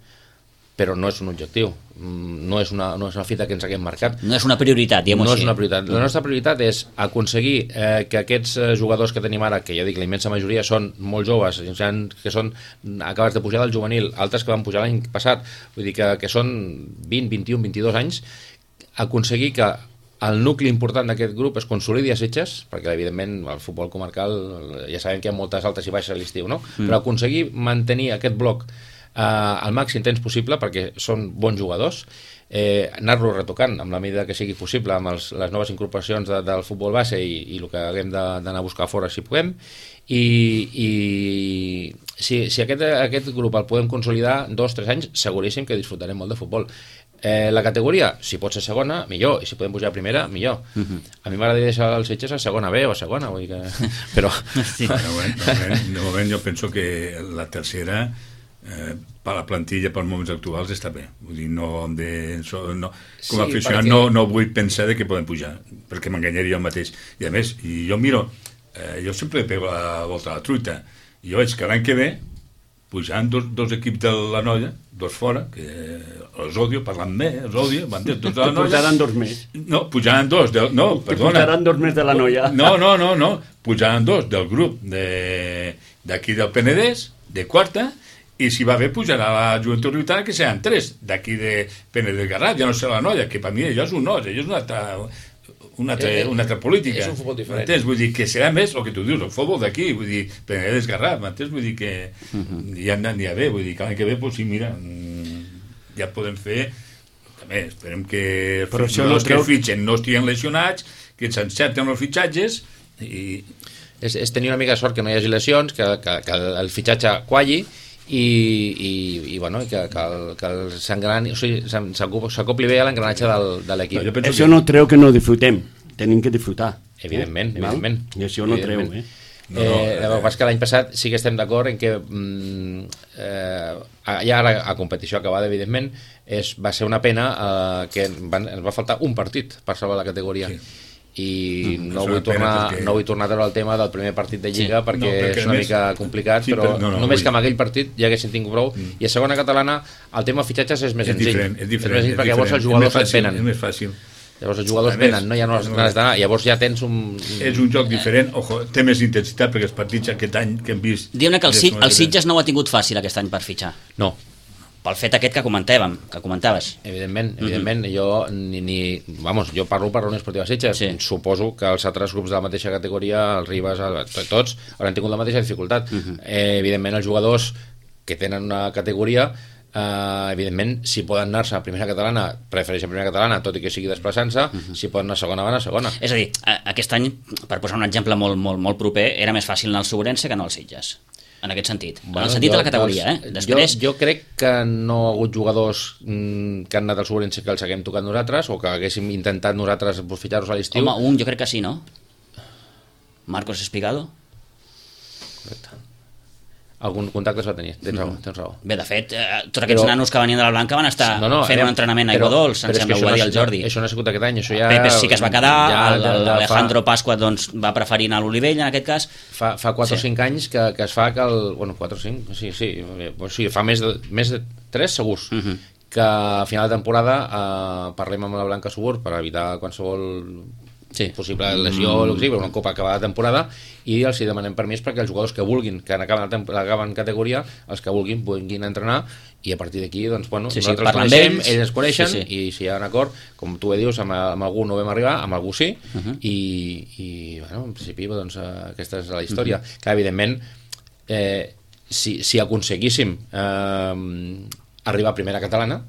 Però no és un objectiu, no és una fita que ens haguem marcat. No és una prioritat, diguem-ho així. No és una prioritat. La nostra prioritat és aconseguir que aquests jugadors que tenim ara, que ja dic, la immensa majoria són molt joves, que són acabats de pujar del juvenil, altres que van pujar l'any passat, vull dir que són 20, 21, 22 anys, aconseguir que el nucli important d'aquest grup es consolidi a Sitges, perquè evidentment el futbol comarcal ja sabem que hi ha moltes altes i baixes a l'estiu, no? Però aconseguir mantenir aquest bloc al màxim temps possible perquè són bons jugadors, anar-lo retocant amb la medida que sigui possible amb les noves incorporacions del futbol base i el que haguem d'anar a buscar fora si podem, i si aquest grup el podem consolidar 2-3 anys, seguríssim que disfrutarem molt de futbol. La categoria, si pot ser segona, millor, i si podem pujar a primera, millor. A mi m'agradaria deixar els Sitges a segona B o a segona, vull dir que... Però... De moment jo penso que la tercera per la plantilla, pels moments actuals, està bé. Vull dir, no, com Sí, a aficionat perquè... no vull pensar que poden pujar, perquè m'enganyaria jo mateix. I a més, jo miro, jo sempre pego la volta a la truita, i jo veig que l'any que ve pujant dos equips de la Noia, dos fora, que els odio, parlant bé, els odio, m'entens? Dos de la Noia. Pujaran 2 més. No, pujaran 2, no, perdona. Pujaran 2 més de la Noia. No, pujaran 2 del grup d'aquí del Penedès, de quarta, i si va bé pujarà la Joventut Riontana, que seran 3 d'aquí de Penedès Garraf, ja no serà la Noia, que per mi allò és un os, allò és una altra política. És un futbol diferent. M'entens? Vull dir que serà més el que tu dius, el futbol d'aquí, vull dir, Penedès Garraf, m'entens? Vull dir que ja anirà bé, vull dir que l'any que ve, doncs sí, mira, ja podem fer, també esperem que els jugadors que fitxen no estiguin lesionats, que s'encerten els fitxatges i... És tenir una mica de sort que no hi hagi lesions, que el fitxatge qualli i bueno, que s'acopli bé a l'engranatge de l'equip. Això no treu que no disfrutem, tenim que disfrutar. Evidentment. I això no treu, el que passa és que l'any passat sí que estem d'acord en que ja ara a competició acabada, evidentment, va ser una pena que ens va faltar un partit per salvar la categoria. I no vull tornar a treure el tema del primer partit de Lliga perquè és una mica complicat, però només que amb aquell partit ja haguessin tingut prou. I a segona catalana el tema fitxatges és més senzill. És diferent, perquè llavors els jugadors et venen. És més fàcil. Llavors els jugadors venen, ja no has d'anar, llavors ja tens un... És un joc diferent, té més intensitat, perquè els partits aquest any que hem vist... Diguem-ne que el Sitges no ho ha tingut fàcil aquest any per fitxar. No. Pel fet aquest que comentaves. Evidentment, jo jo parlo per la Unió Esportiva Sitges, suposo que els altres grups de la mateixa categoria, els Ribes, tots, hauran tingut la mateixa dificultat. Evidentment, els jugadors que tenen una categoria, evidentment, si poden anar-se a primera catalana, prefereixen primera catalana, tot i que sigui desplaçant-se, si poden anar a segona, van a segona. És a dir, aquest any, per posar un exemple molt proper, era més fàcil anar al Sobrense que anar al Sitges. En aquest sentit, en el sentit de la categoria. Després... Jo crec que no ha hagut jugadors que han anat al Sobrense que els haguem tocat nosaltres o que haguéssim intentat nosaltres fitxar-los a l'estiu. Home, jo crec que sí, no? Marcos Espigado? Correcte. Algun contacte es va tenir, tens raó. Bé, de fet, tots aquests nanos que venien de la Blanca van estar fent un entrenament a Aiguadols, em sembla, ho va dir el Jordi. Això no ha sigut aquest any, això ja... Pepe sí que es va quedar, l'Alejandro Pasqua doncs, va preferir anar a l'Olivell, en aquest cas. Fa 4 o 5 anys que es fa que el... Bueno, 4 o 5, sí, fa més de 3 segurs, que a final de temporada parlem amb la Blanca Subur per evitar qualsevol... possible lesió o una copa acabada de temporada i els hi demanem permís perquè els jugadors que vulguin, que acaben categoria, els que vulguin entrenar i a partir d'aquí, doncs, bueno, nosaltres coneixem, ells ens coneixen i si hi ha un acord, com tu dius, amb algú no vam arribar, amb algú sí i bueno, en principi, doncs, aquesta és la història. Que, evidentment, si aconseguíssim arribar a primera catalana,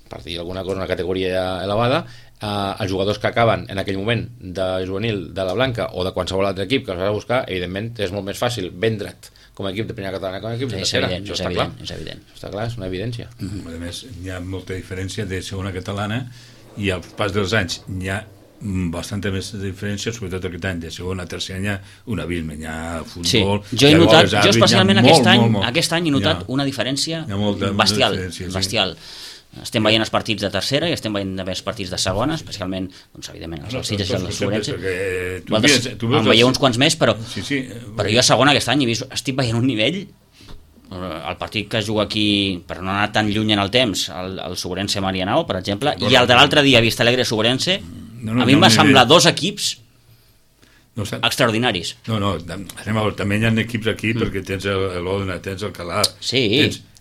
per dir alguna cosa, una categoria elevada, els jugadors que acaben en aquell moment de juvenil de la Blanca o de qualsevol altre equip que els has de buscar, evidentment és molt més fàcil vendre't com a equip de primera catalana com a equip de tercera. És evident. Està clar, és una evidència. A més, hi ha molta diferència de segona catalana i al pas dels anys hi ha bastanta més diferència, sobretot aquest any de segona a tercera hi ha un abisme, hi ha futbol... Jo especialment aquest any he notat una diferència bestial. Estem veient els partits de tercera i estem veient els partits de segona, especialment, doncs, evidentment, els Sitges i el Sobrense. En veieu uns quants més, però jo a segona aquest any estic veient un nivell, el partit que es juga aquí, per no anar tan lluny en el temps, el Sobrense Marianao, per exemple, i el de l'altre dia, Vistalegre Sobrense, a mi em va semblar 2 equips extraordinaris. També hi ha equips aquí perquè tens l'Odena, tens el Calaf,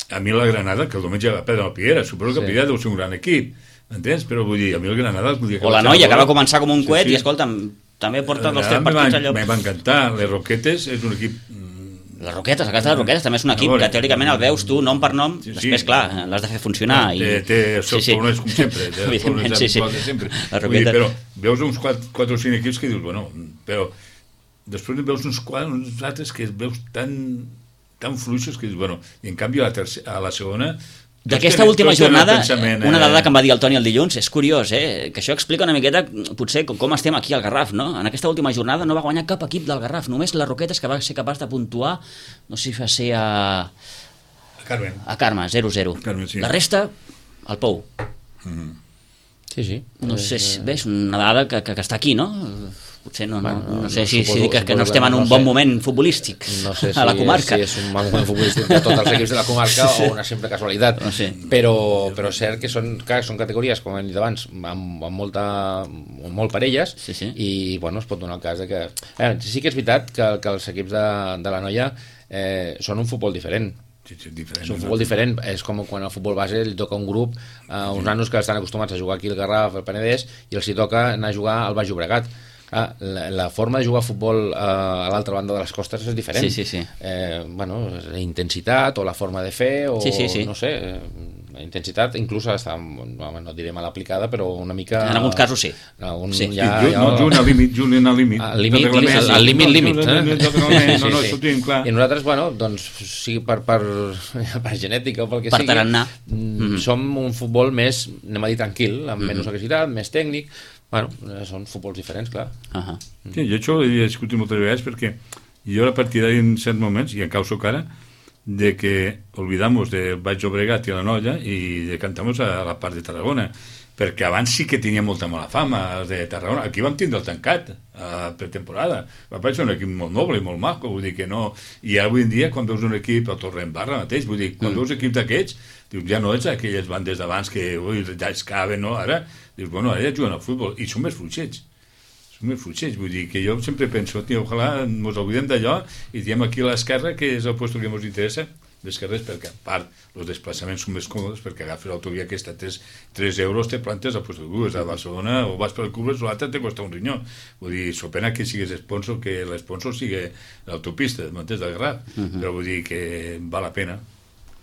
a mi la Granada, que el diumenge va perdre el Piera, suposo que el Piera deu ser un gran equip, m'entens? Però vull dir, a mi el Granada... O la Noia, que va començar com un coet i, escolta'm, també porta 2 o 3 partits allò... M'ha encantar, les Roquetes és un equip... Les Roquetes, el cas de les Roquetes també és un equip que teòricament el veus tu nom per nom, després, clar, l'has de fer funcionar. Té els seus problemes com sempre, però veus uns 4 o 5 equips que dius, bueno, però després veus uns altres que veus tan fluixos que dius, bueno, i en canvi a la segona... D'aquesta última jornada, una dada que em va dir el Toni el dilluns, és curiós, que això explica una miqueta potser com estem aquí al Garraf, no? En aquesta última jornada no va guanyar cap equip del Garraf, només les Roquetes, que va ser capaç de puntuar, no sé si va ser a Carme. A Carme, 0-0. Carme, sí. La resta, al Pou. Sí. No sé si, bé, és una dada que està aquí, no? Potser no sé si dic que no estem en un bon moment futbolístic a la comarca. No sé si és un bon moment futbolístic de tots els equips de la comarca o una sempre casualitat. No sé. Però és cert que són categories, com hem dit abans, amb molt parelles, Sí. I bueno, es pot donar el cas de que... sí que és veritat que els equips de la noia són un futbol diferent. Sí, diferent. És un futbol diferent, és com quan al futbol base li toca un grup, uns nanos que estan acostumats a jugar aquí al Garraf, al Penedès, i els hi toca anar a jugar al Baix Llobregat. La forma de jugar a futbol a l'altra banda de les costes és diferent. Sí. La intensitat o la forma de fer o no sé, la intensitat inclús està, no diré mal aplicada, però una mica... En alguns casos sí. Juguen al límit. Al límit. No, això ho tenim clar. I nosaltres, doncs, sigui per genètica o pel que sigui, per tarannà, som un futbol més, anem a dir, tranquil, amb menys agressivitat, més tècnic. Són futbols diferents, clar. Sí, jo això ho he discutit moltes vegades perquè jo era partidari en certs moments, i encara ho soc ara, de que olvidamos de Baix Llobregat i la Noia i decantamos a la part de Tarragona, perquè abans sí que tenia molta mala fama de Tarragona. Aquí vam tindre el tancat per temporada. Va ser un equip molt noble i molt maco, vull dir que no... I avui en dia, quan veus un equip, el Torredembarra mateix, vull dir, quan veus equips d'aquests, dius, ja no ets aquelles bandes d'abans que ja es caben, no? Ara, dius, bueno, ara ja juguen al futbol, i són més fluixets. Vull dir que jo sempre penso, ojalà ens oblidem d'allò i diem aquí a l'esquerra que és el lloc que ens interessa, l'esquerra és perquè a part els desplaçaments són més còmodes perquè agafes l'autovia aquesta 3 euros te plantes al lloc de a Barcelona o vas per el Cubres o l'altre te costa un rinyó, vull dir, so pena que sigues sponsor, que l'sponsor sigui l'autopista del Garraf, però vull dir que val la pena.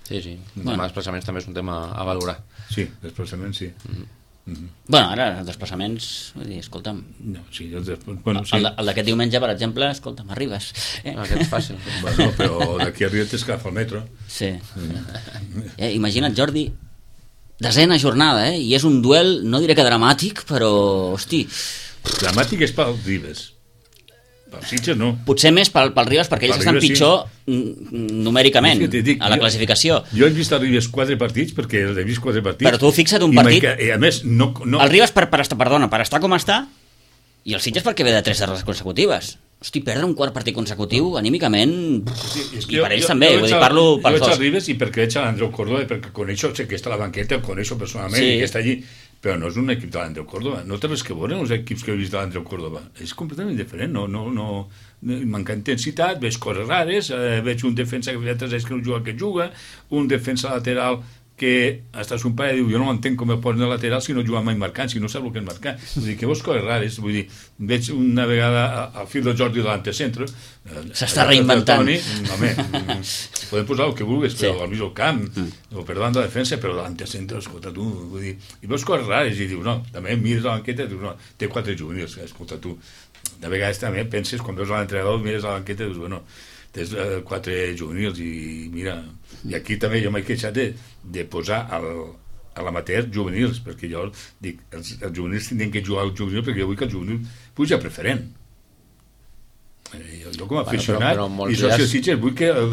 Sí, el tema de desplaçaments també és un tema a valorar. Sí, desplaçaments sí. Bueno, ara, els desplaçaments, vull dir, escolta'm, sí. el d'aquest diumenge, per exemple, escolta'm, arribes. Aquest és fàcil. Bueno, però d'aquí arriba t'es que agafa el metro. Sí. Imagina't, Jordi, desena jornada, i és un duel, no diré que dramàtic, però, hosti... Dramàtic és pel Ribes. Per Sitges no. Potser més pel Ribes, perquè ells estan pitjor numèricament a la classificació. Jo he vist el Ribes 4 partits, perquè he vist 4 partits. Però tu fixa't un partit... I a més, no... El Ribes, per estar com està, i el Sitges perquè ve de 3 derrotes consecutives. Hosti, perdre un quart partit consecutiu, anímicament, i per ells també, vull dir, parlo pels dos. Jo veig el Ribes i perquè veig l'Andreu Córdoba, perquè coneixo, sé que està a la banqueta, el coneixo personalment, i que està allí, però no és un equip de l'Andreu Córdoba, no té res que veure els equips que he vist de l'Andreu Córdoba, és completament diferent, no manca intensitat, veig coses rares, veig un defensa que fa 3 anys que no juga que juga, un defensa lateral que hasta son pare diu, jo no m'entenc com el posen de lateral si no juga mai marcant, si no sap el que és marcar, vull dir que veus coses rares, vull dir, veig una vegada al fil del Jordi de l'antecentre, s'està reinventant. Home, podem posar el que vulguis, però al mig del camp, o per davant de la defensa, però l'antecentre, escolta tu, vull dir, i veus coses rares, i dius, no, també mires la banqueta, dius, no, té 4 juvenils, escolta tu, de vegades també penses, quan veus l'entrenador, mires la banqueta, dius, bueno, tens 4 juvenils i mira, i aquí també jo m'he queixat de posar a l'amateur juvenils, perquè jo dic, els juvenils tindrien que jugar al juvenil perquè jo vull que el juvenil puja preferent. Jo com a aficionat i soci del Sitges vull que el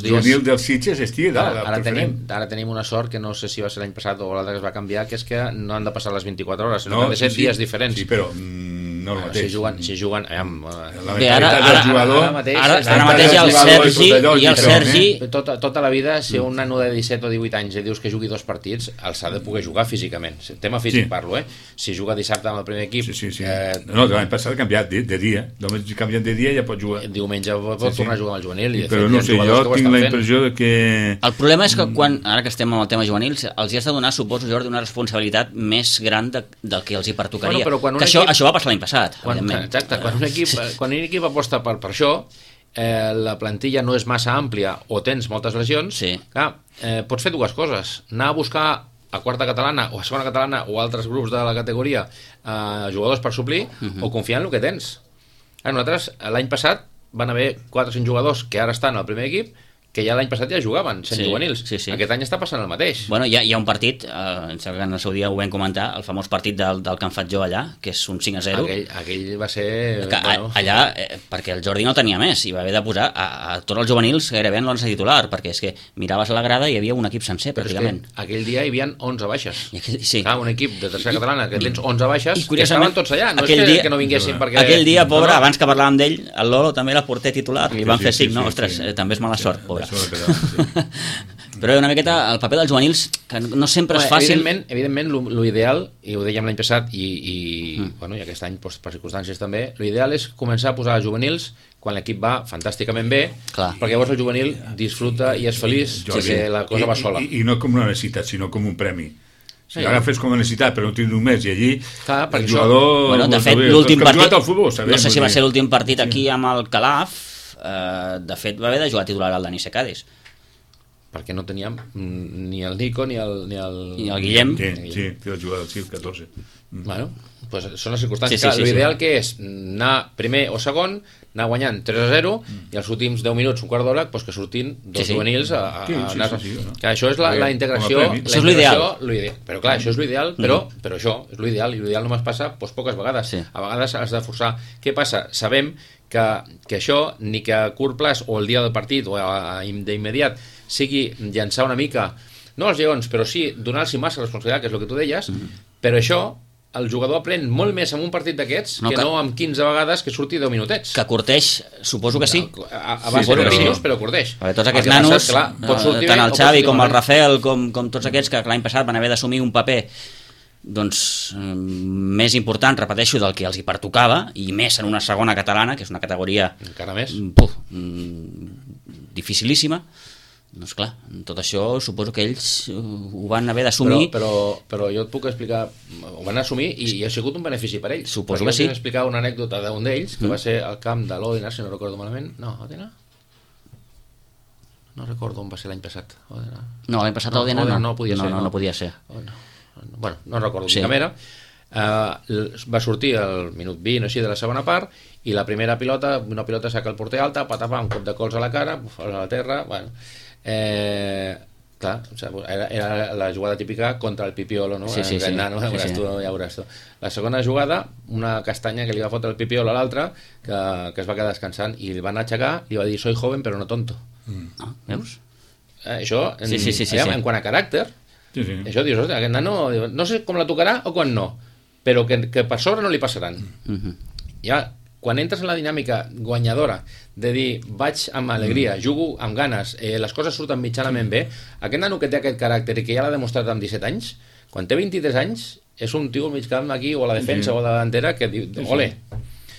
juvenil del Sitges estigui dalt, preferent. Ara tenim una sort que no sé si va ser l'any passat o l'altre que es va canviar, que és que no han de passar les 24 hores, sinó que han de ser dies diferents. Sí, però no el mateix. Si juguen bé, ara mateix hi ha el Sergi tota la vida, si un nano de 17 o 18 anys dius que jugui 2 partits, els ha de poder jugar físicament, tema físic parlo, si juga dissabte amb el primer equip no, l'any passat ha canviat de dia, només canviant de dia ja pot jugar, diumenge pot tornar a jugar amb el juvenil, però no sé, jo tinc la impressió que el problema és que quan, ara que estem amb el tema juvenil, els hi has de donar, suposo, Jordi, una responsabilitat més gran del que els hi pertocaria, que això va passar l'any passat. Exacte, quan un equip aposta per això, la plantilla no és massa àmplia o tens moltes lesions, clar, pots fer dues coses, anar a buscar a quarta catalana o a segona catalana o altres grups de la categoria jugadors per suplir o confiar en el que tens. Nosaltres l'any passat van haver 4 o 5 jugadors que ara estan al primer equip que ja l'any passat ja jugaven, sent juvenils. Aquest any està passant el mateix. Bueno, hi ha un partit, em sembla que en el seu dia ho vam comentar, el famós partit del que han fet jo allà, que és un 5-0. Aquell va ser... Allà, perquè el Jordi no tenia més, i va haver de posar a tots els juvenils gairebé en l'11 titular, perquè és que miraves a la grada i hi havia un equip sencer, pràcticament. Aquell dia hi havia 11 baixes. Sí. Un equip de tercera catalana que tens 11 baixes, que estaven tots allà, no és que no vinguessin perquè... Aquell dia, pobre, abans que parlàvem d'ell, el Lolo també era porter titular, li van fer 5, no? Ostres, també és mala sort, pobre. Però una miqueta el paper dels juvenils, que no sempre és fàcil. Evidentment, l'ideal, i ho dèiem l'any passat i aquest any per circumstàncies també, l'ideal és començar a posar juvenils quan l'equip va fantàsticament bé, perquè llavors el juvenil disfruta i és feliç perquè la cosa va sola. I no com una necessitat, sinó com un premi. Si l'agafes com a necessitat, però no tens només, i allí el jugador... De fet, l'últim partit, no sé si va ser l'últim partit aquí amb el Calaf, de fet va haver de jugar titular al Dani Secades, perquè no teníem ni el Nico ni el Guillem. Sí, que va jugar al 14. Bueno, pues són les circumstàncies. L'ideal que és anar primer o segon, anar guanyant 3-0 i els últims 10 minuts, un quart d'hora, que sortin dos juvenils a anar... Això és la integració. Això és l'ideal. Però clar, això és l'ideal, però això és l'ideal, i l'ideal només passa poques vegades. A vegades has de forçar. Què passa? Sabem que això, ni que a curt plaç o el dia del partit o d'immediat sigui llançar una mica, no als lleons, però sí donar-los massa responsabilitat, que és el que tu deies, però això el jugador aprèn molt més en un partit d'aquests que no amb 15 vegades que surti 10 minutets. Que curteix, suposo que sí. A base de pinyos, però curteix. Tots aquests nanos, tant el Xavi com el Rafael, com tots aquests que l'any passat van haver d'assumir un paper més important, repeteixo, del que els hi pertocava, i més en una segona catalana, que és una categoria encara més dificilíssima. Doncs clar, tot això suposo que ells ho van haver d'assumir. Però jo et puc explicar, ho van assumir i ha sigut un benefici per ells. Suposo que sí. Jo us explicar una anècdota d'un d'ells, que va ser al camp de l'Òdena, si no recordo malament. No, Òdena? No recordo on va ser l'any passat. No, l'any passat l'Òdena no podia ser. No podia ser. Bueno, no recordo quina era. Va sortir al minut 20 o així de la segona part, i la primera pilota, una pilota saca el porter alta, patapà, un cop de cols a la cara, a la terra, bueno... clar, era la jugada típica contra el Pipiolo, no? Nano, ja veuràs tu. La segona jugada, una castanya que li va fotre el Pipiolo a l'altre, que es va quedar descansant, i el van aixecar i va dir: soy joven però no tonto. Veus? Això, en quant a caràcter, això dius, aquest nano no sé com la tocarà o quan no, però que per sobre no li passaran. Ja, quan entres en la dinàmica guanyadora de dir vaig amb alegria, jugo amb ganes, les coses surten mitjanament bé, aquest nano que té aquest caràcter i que ja l'ha demostrat amb 17 anys, quan té 23 anys és un tio al mig camp aquí, o a la defensa o a la davantera, que diu, ole.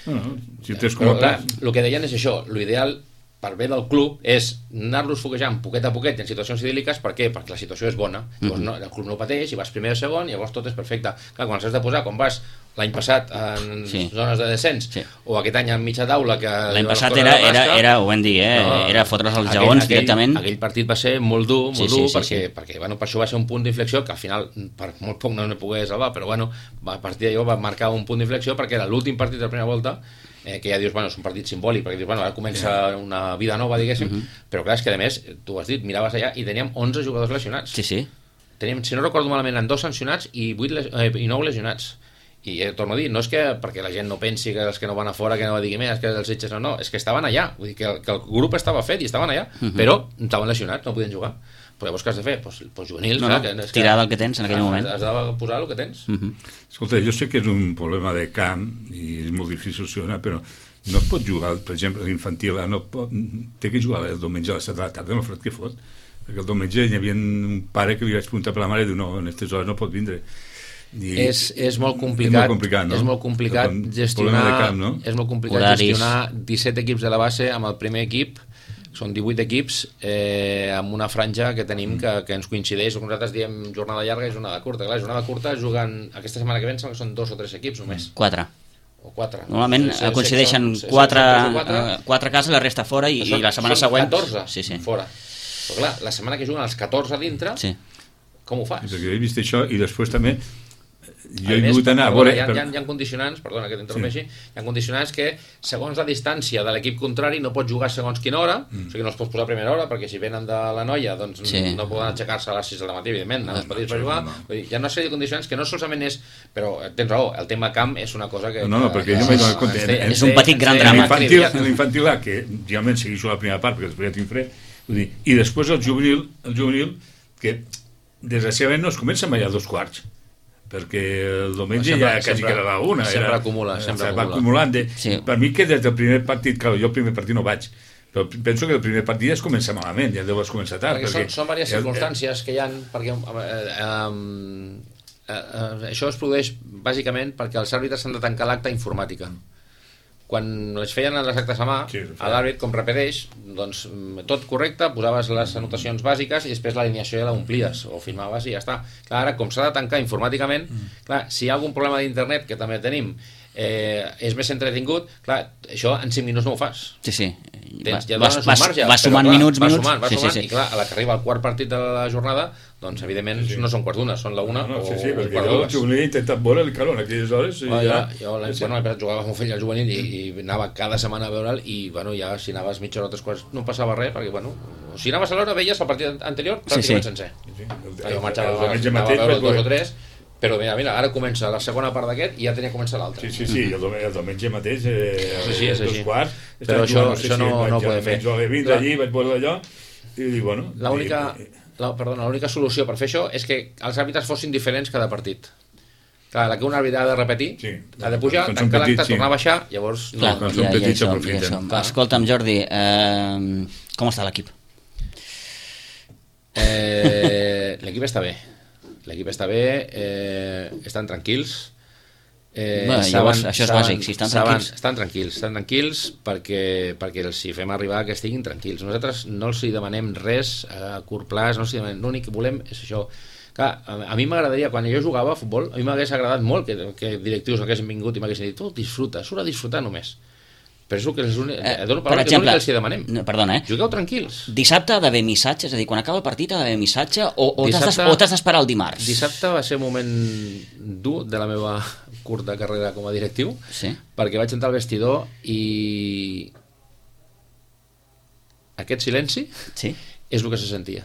Però clar, el que deien és això, l'ideal per bé del club és anar-los foguejant poquet a poquet en situacions idíl·liques. Per què? Perquè la situació és bona, llavors el club no pateix i vas primer o segon, i llavors tot és perfecte. Clar, quan has de posar, quan vas l'any passat en zones de descens, o aquest any en mitja taula, que l'any passat era, ho vam dir, era fotre's els jaons directament. Aquell partit va ser molt dur, perquè per això va ser un punt d'inflexió que al final per molt poc no pogués salvar, però bueno, a partir d'allò va marcar un punt d'inflexió, perquè era l'últim partit de la primera volta, que ja dius, bueno, és un partit simbòlic, perquè dius, bueno, ara comença una vida nova, diguéssim, però clar, és que a més, tu ho has dit, miraves allà i teníem 11 jugadors lesionats. Teníem, si no recordo malament, en 2 sancionats i 9 lesionats. I torno a dir, no és que perquè la gent no pensi que els que no van a fora, que no va dir més, que els Sitges no, és que estaven allà, vull dir que el grup estava fet i estaven allà, però estaven lesionats, no podien jugar. Però llavors què has de fer? Doncs juvenils, tirar del que tens en aquell moment. Has de posar el que tens. Escolta, jo sé que és un problema de camp i és molt difícil solucionar, però no es pot jugar, per exemple, l'infantil, té que jugar el diumenge a les 7 de la tarda, no fred que fot, perquè el diumenge hi havia un pare que li vaig preguntar per la mare i diu, no, en aquestes hores no pot vindre. És molt complicat, no? És molt complicat gestionar camp, no? És molt complicat gestionar 17 equips de la base amb el primer equip. Són 18 equips amb una franja que tenim que ens coincideix. Nosaltres diem jornada llarga i jornada curta. Clar, jornada curta juguen aquesta setmana que ven, que són 2 o 3 equips només. 4. O 4. Normalment coincideixen 4 cases, la resta fora, i la setmana següent 14 fora. Però clar, la setmana que juguen els 14 a dintre, com ho fas? Perquè he vist això, i després també jo he vingut a anar a veure... Hi ha condicionants, perdona que t'interrompi, hi ha condicionants que, segons la distància de l'equip contrari, no pots jugar segons quina hora, o sigui, no els pots posar a primera hora, perquè si venen de la Noia, doncs no poden aixecar-se a les 6 del matí, evidentment, anar als petits per jugar. Hi ha una sèrie de condicionants que no solament és... Però tens raó, el tema camp és una cosa que... No, perquè jo m'he donat compte. És un petit gran drama. L'infantil A, que realment segueixo la primera part, perquè després ja tinc fred, i després el juvenil, que desgraciadament no es comença mai a 2:15, perquè el diumenge ja quasi que era la 1. Sempre acumula. Va acumulant. Per mi que des del primer partit, clar, jo el primer partit no vaig, però penso que el primer partit ja es comença malament, ja deu començar tard. Perquè són diverses circumstàncies que hi ha, perquè això es produeix bàsicament perquè els àrbitres s'han de tancar l'acte informàtica. Quan les feien les actes a mà, a l'àrbit, com repeteix, doncs tot correcte, posaves les anotacions bàsiques i després l'alineació ja l'omplies o filmaves i ja està. Clar, ara, com s'ha de tancar informàticament, clar, si hi ha algun problema d'internet, que també tenim, és més entretingut, clar, això en 5 minuts no ho fas. Sí. Va sumant minuts. Va sumant, i clar, a la que arriba el quart partit de la jornada, doncs evidentment no són quarts d'una, són la una o perquè jo el juvenil he intentat veure el calor en aquelles hores. Jo jugava amb un fill al juvenil i anava cada setmana a veure'l i ja si anaves mitja hora o 3 quarts no passava res, perquè si anaves a l'hora veies el partit anterior pràcticament sencer. Jo marxava a veure 2 o 3, però mira, ara comença la segona part d'aquest i ja tenia que començar l'altre. Sí, el diumenge mateix, és 2 quarts, però això no ho podem fer. Jo he vist allí, vaig veure allò i dic, bueno... L'única solució per fer això és que els àrbitres fossin diferents cada partit. Clar, la que un àrbitre ha de repetir, ha de pujar, tancar l'acte, tornar a baixar, llavors... Quan són petits s'aprofiten. Escolta'm, Jordi, com està l'equip? L'equip està bé. Estan tranquils. Llavors, això és bàsic, si estan tranquils. Estan tranquils perquè els hi fem arribar que estiguin tranquils. Nosaltres no els hi demanem res a curt plaç, l'únic que volem és això. Clar, a mi m'agradaria, quan jo jugava a futbol, a mi m'hagués agradat molt que directius haguessin vingut i m'haguessin dit, disfruta, surt a disfrutar només. Però és el que els hi demanem. Perdona, Jugueu tranquils. Dissabte ha d'haver missatge, és a dir, quan acaba el partit ha d'haver missatge o t'has d'esperar el dimarts? Dissabte va ser un moment dur de la meva curta carrera com a directiu, perquè vaig entrar al vestidor i aquest silenci és el que se sentia.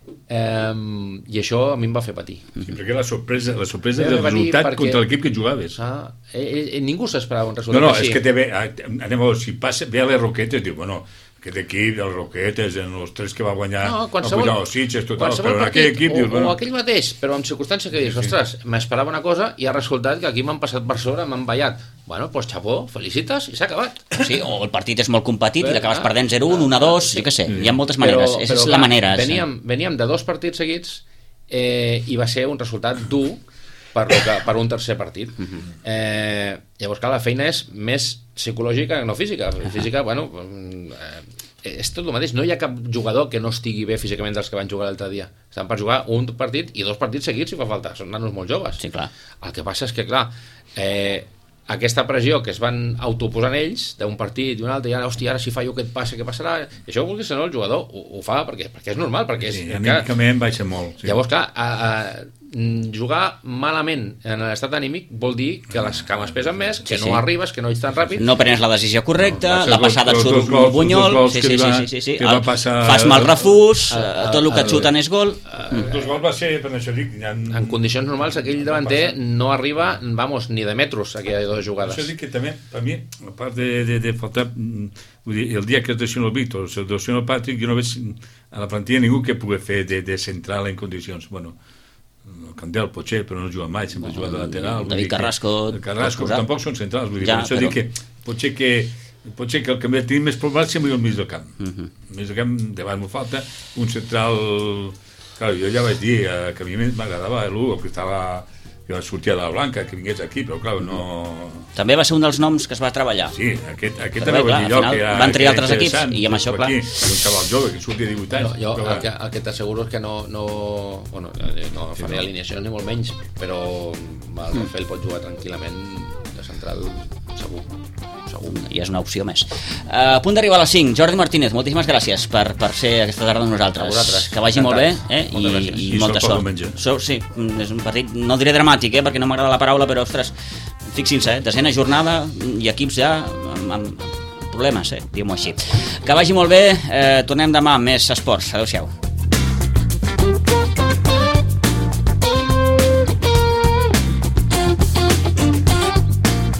I això a mi em va fer patir. Perquè la sorpresa del resultat contra l'equip que jugaves. Ningú s'esperava un resultat No, així. és que anem a veure, si ve a les Roquetes, diu, bueno, aquest equip dels Roquetes, en els 3 que va guanyar, va pujar els Sitges, total, però en aquell equip... O aquell mateix, però amb circumstàncies que dius, ostres, m'esperava una cosa i ha resultat que aquí m'han passat per sobre, m'han ballat. Bueno, doncs xapó, felicites i s'ha acabat. Sí, o el partit és molt competit i l'acabes perdent 0-1, 1-2, jo què sé, hi ha moltes maneres, és la manera. Veníem de 2 partits seguits i va ser un resultat dur per un tercer partit. Llavors, clar, la feina és més psicològica que no física. Física, bueno, és tot el mateix. No hi ha cap jugador que no estigui bé físicament dels que van jugar l'altre dia. Estan per jugar un partit i 2 partits seguits si fa falta. Són nanos molt joves. Sí, clar. El que passa és que, clar, aquesta pressió que es van autoposant ells d'un partit i un altre, i ara, hòstia, ara si fa jo aquest passe, què passarà? Això vulguis o no, el jugador ho fa perquè és normal, perquè és... anímicament baixa molt. Llavors, clar, jugar malament en l'estat anímic vol dir que les cames pesen més, que no arribes, que no ets tan ràpid, no prens la decisió correcta, la passada et surt un bunyol, fas mal refús, tot el que et xuten és gol. Els 2 gols va ser, per això dic, en condicions normals aquell davanter no arriba, ni de metros a aquelles 2 jugades. Això dic que també, per mi, a part de faltar, vull dir, el dia que es lesiona el Víctor, el lesiona el Patrick, jo no veig a la plantilla ningú que pugui fer de central en condicions. Bueno, el Candel potser, però no juga mai, sempre juga de lateral. David Carrasco. Tampoc són centrals, vull dir, per això dic que potser que el que tenim més problemes sempre el mig del camp. El mig del camp, davant m'ho falta, un central... Clar, jo ja vaig dir que a mi m'agradava l'Hugo, que sortia de la Blanca, que vingués aquí, però clar, no... També va ser un dels noms que es va treballar. Sí, aquest també va dir jo, que era... Van triar altres equips, i amb això, clar... Un xaval jove, que sortia 18 anys. Jo el que t'asseguro és que no faré alineacions ni molt menys, però el Rafel pot jugar tranquil·lament de central, segur. ja és una opció més. A punt d'arribar a les 5, Jordi Martínez, moltíssimes gràcies per ser aquesta tarda amb nosaltres. Que vagi molt bé i molta sort. Sí, és un partit, no diré dramàtic, perquè no m'agrada la paraula, però ostres, fixin-se, desena jornada i equips ja amb problemes, diguem-ho així. Que vagi molt bé, tornem demà amb més esports. Adéu-siau.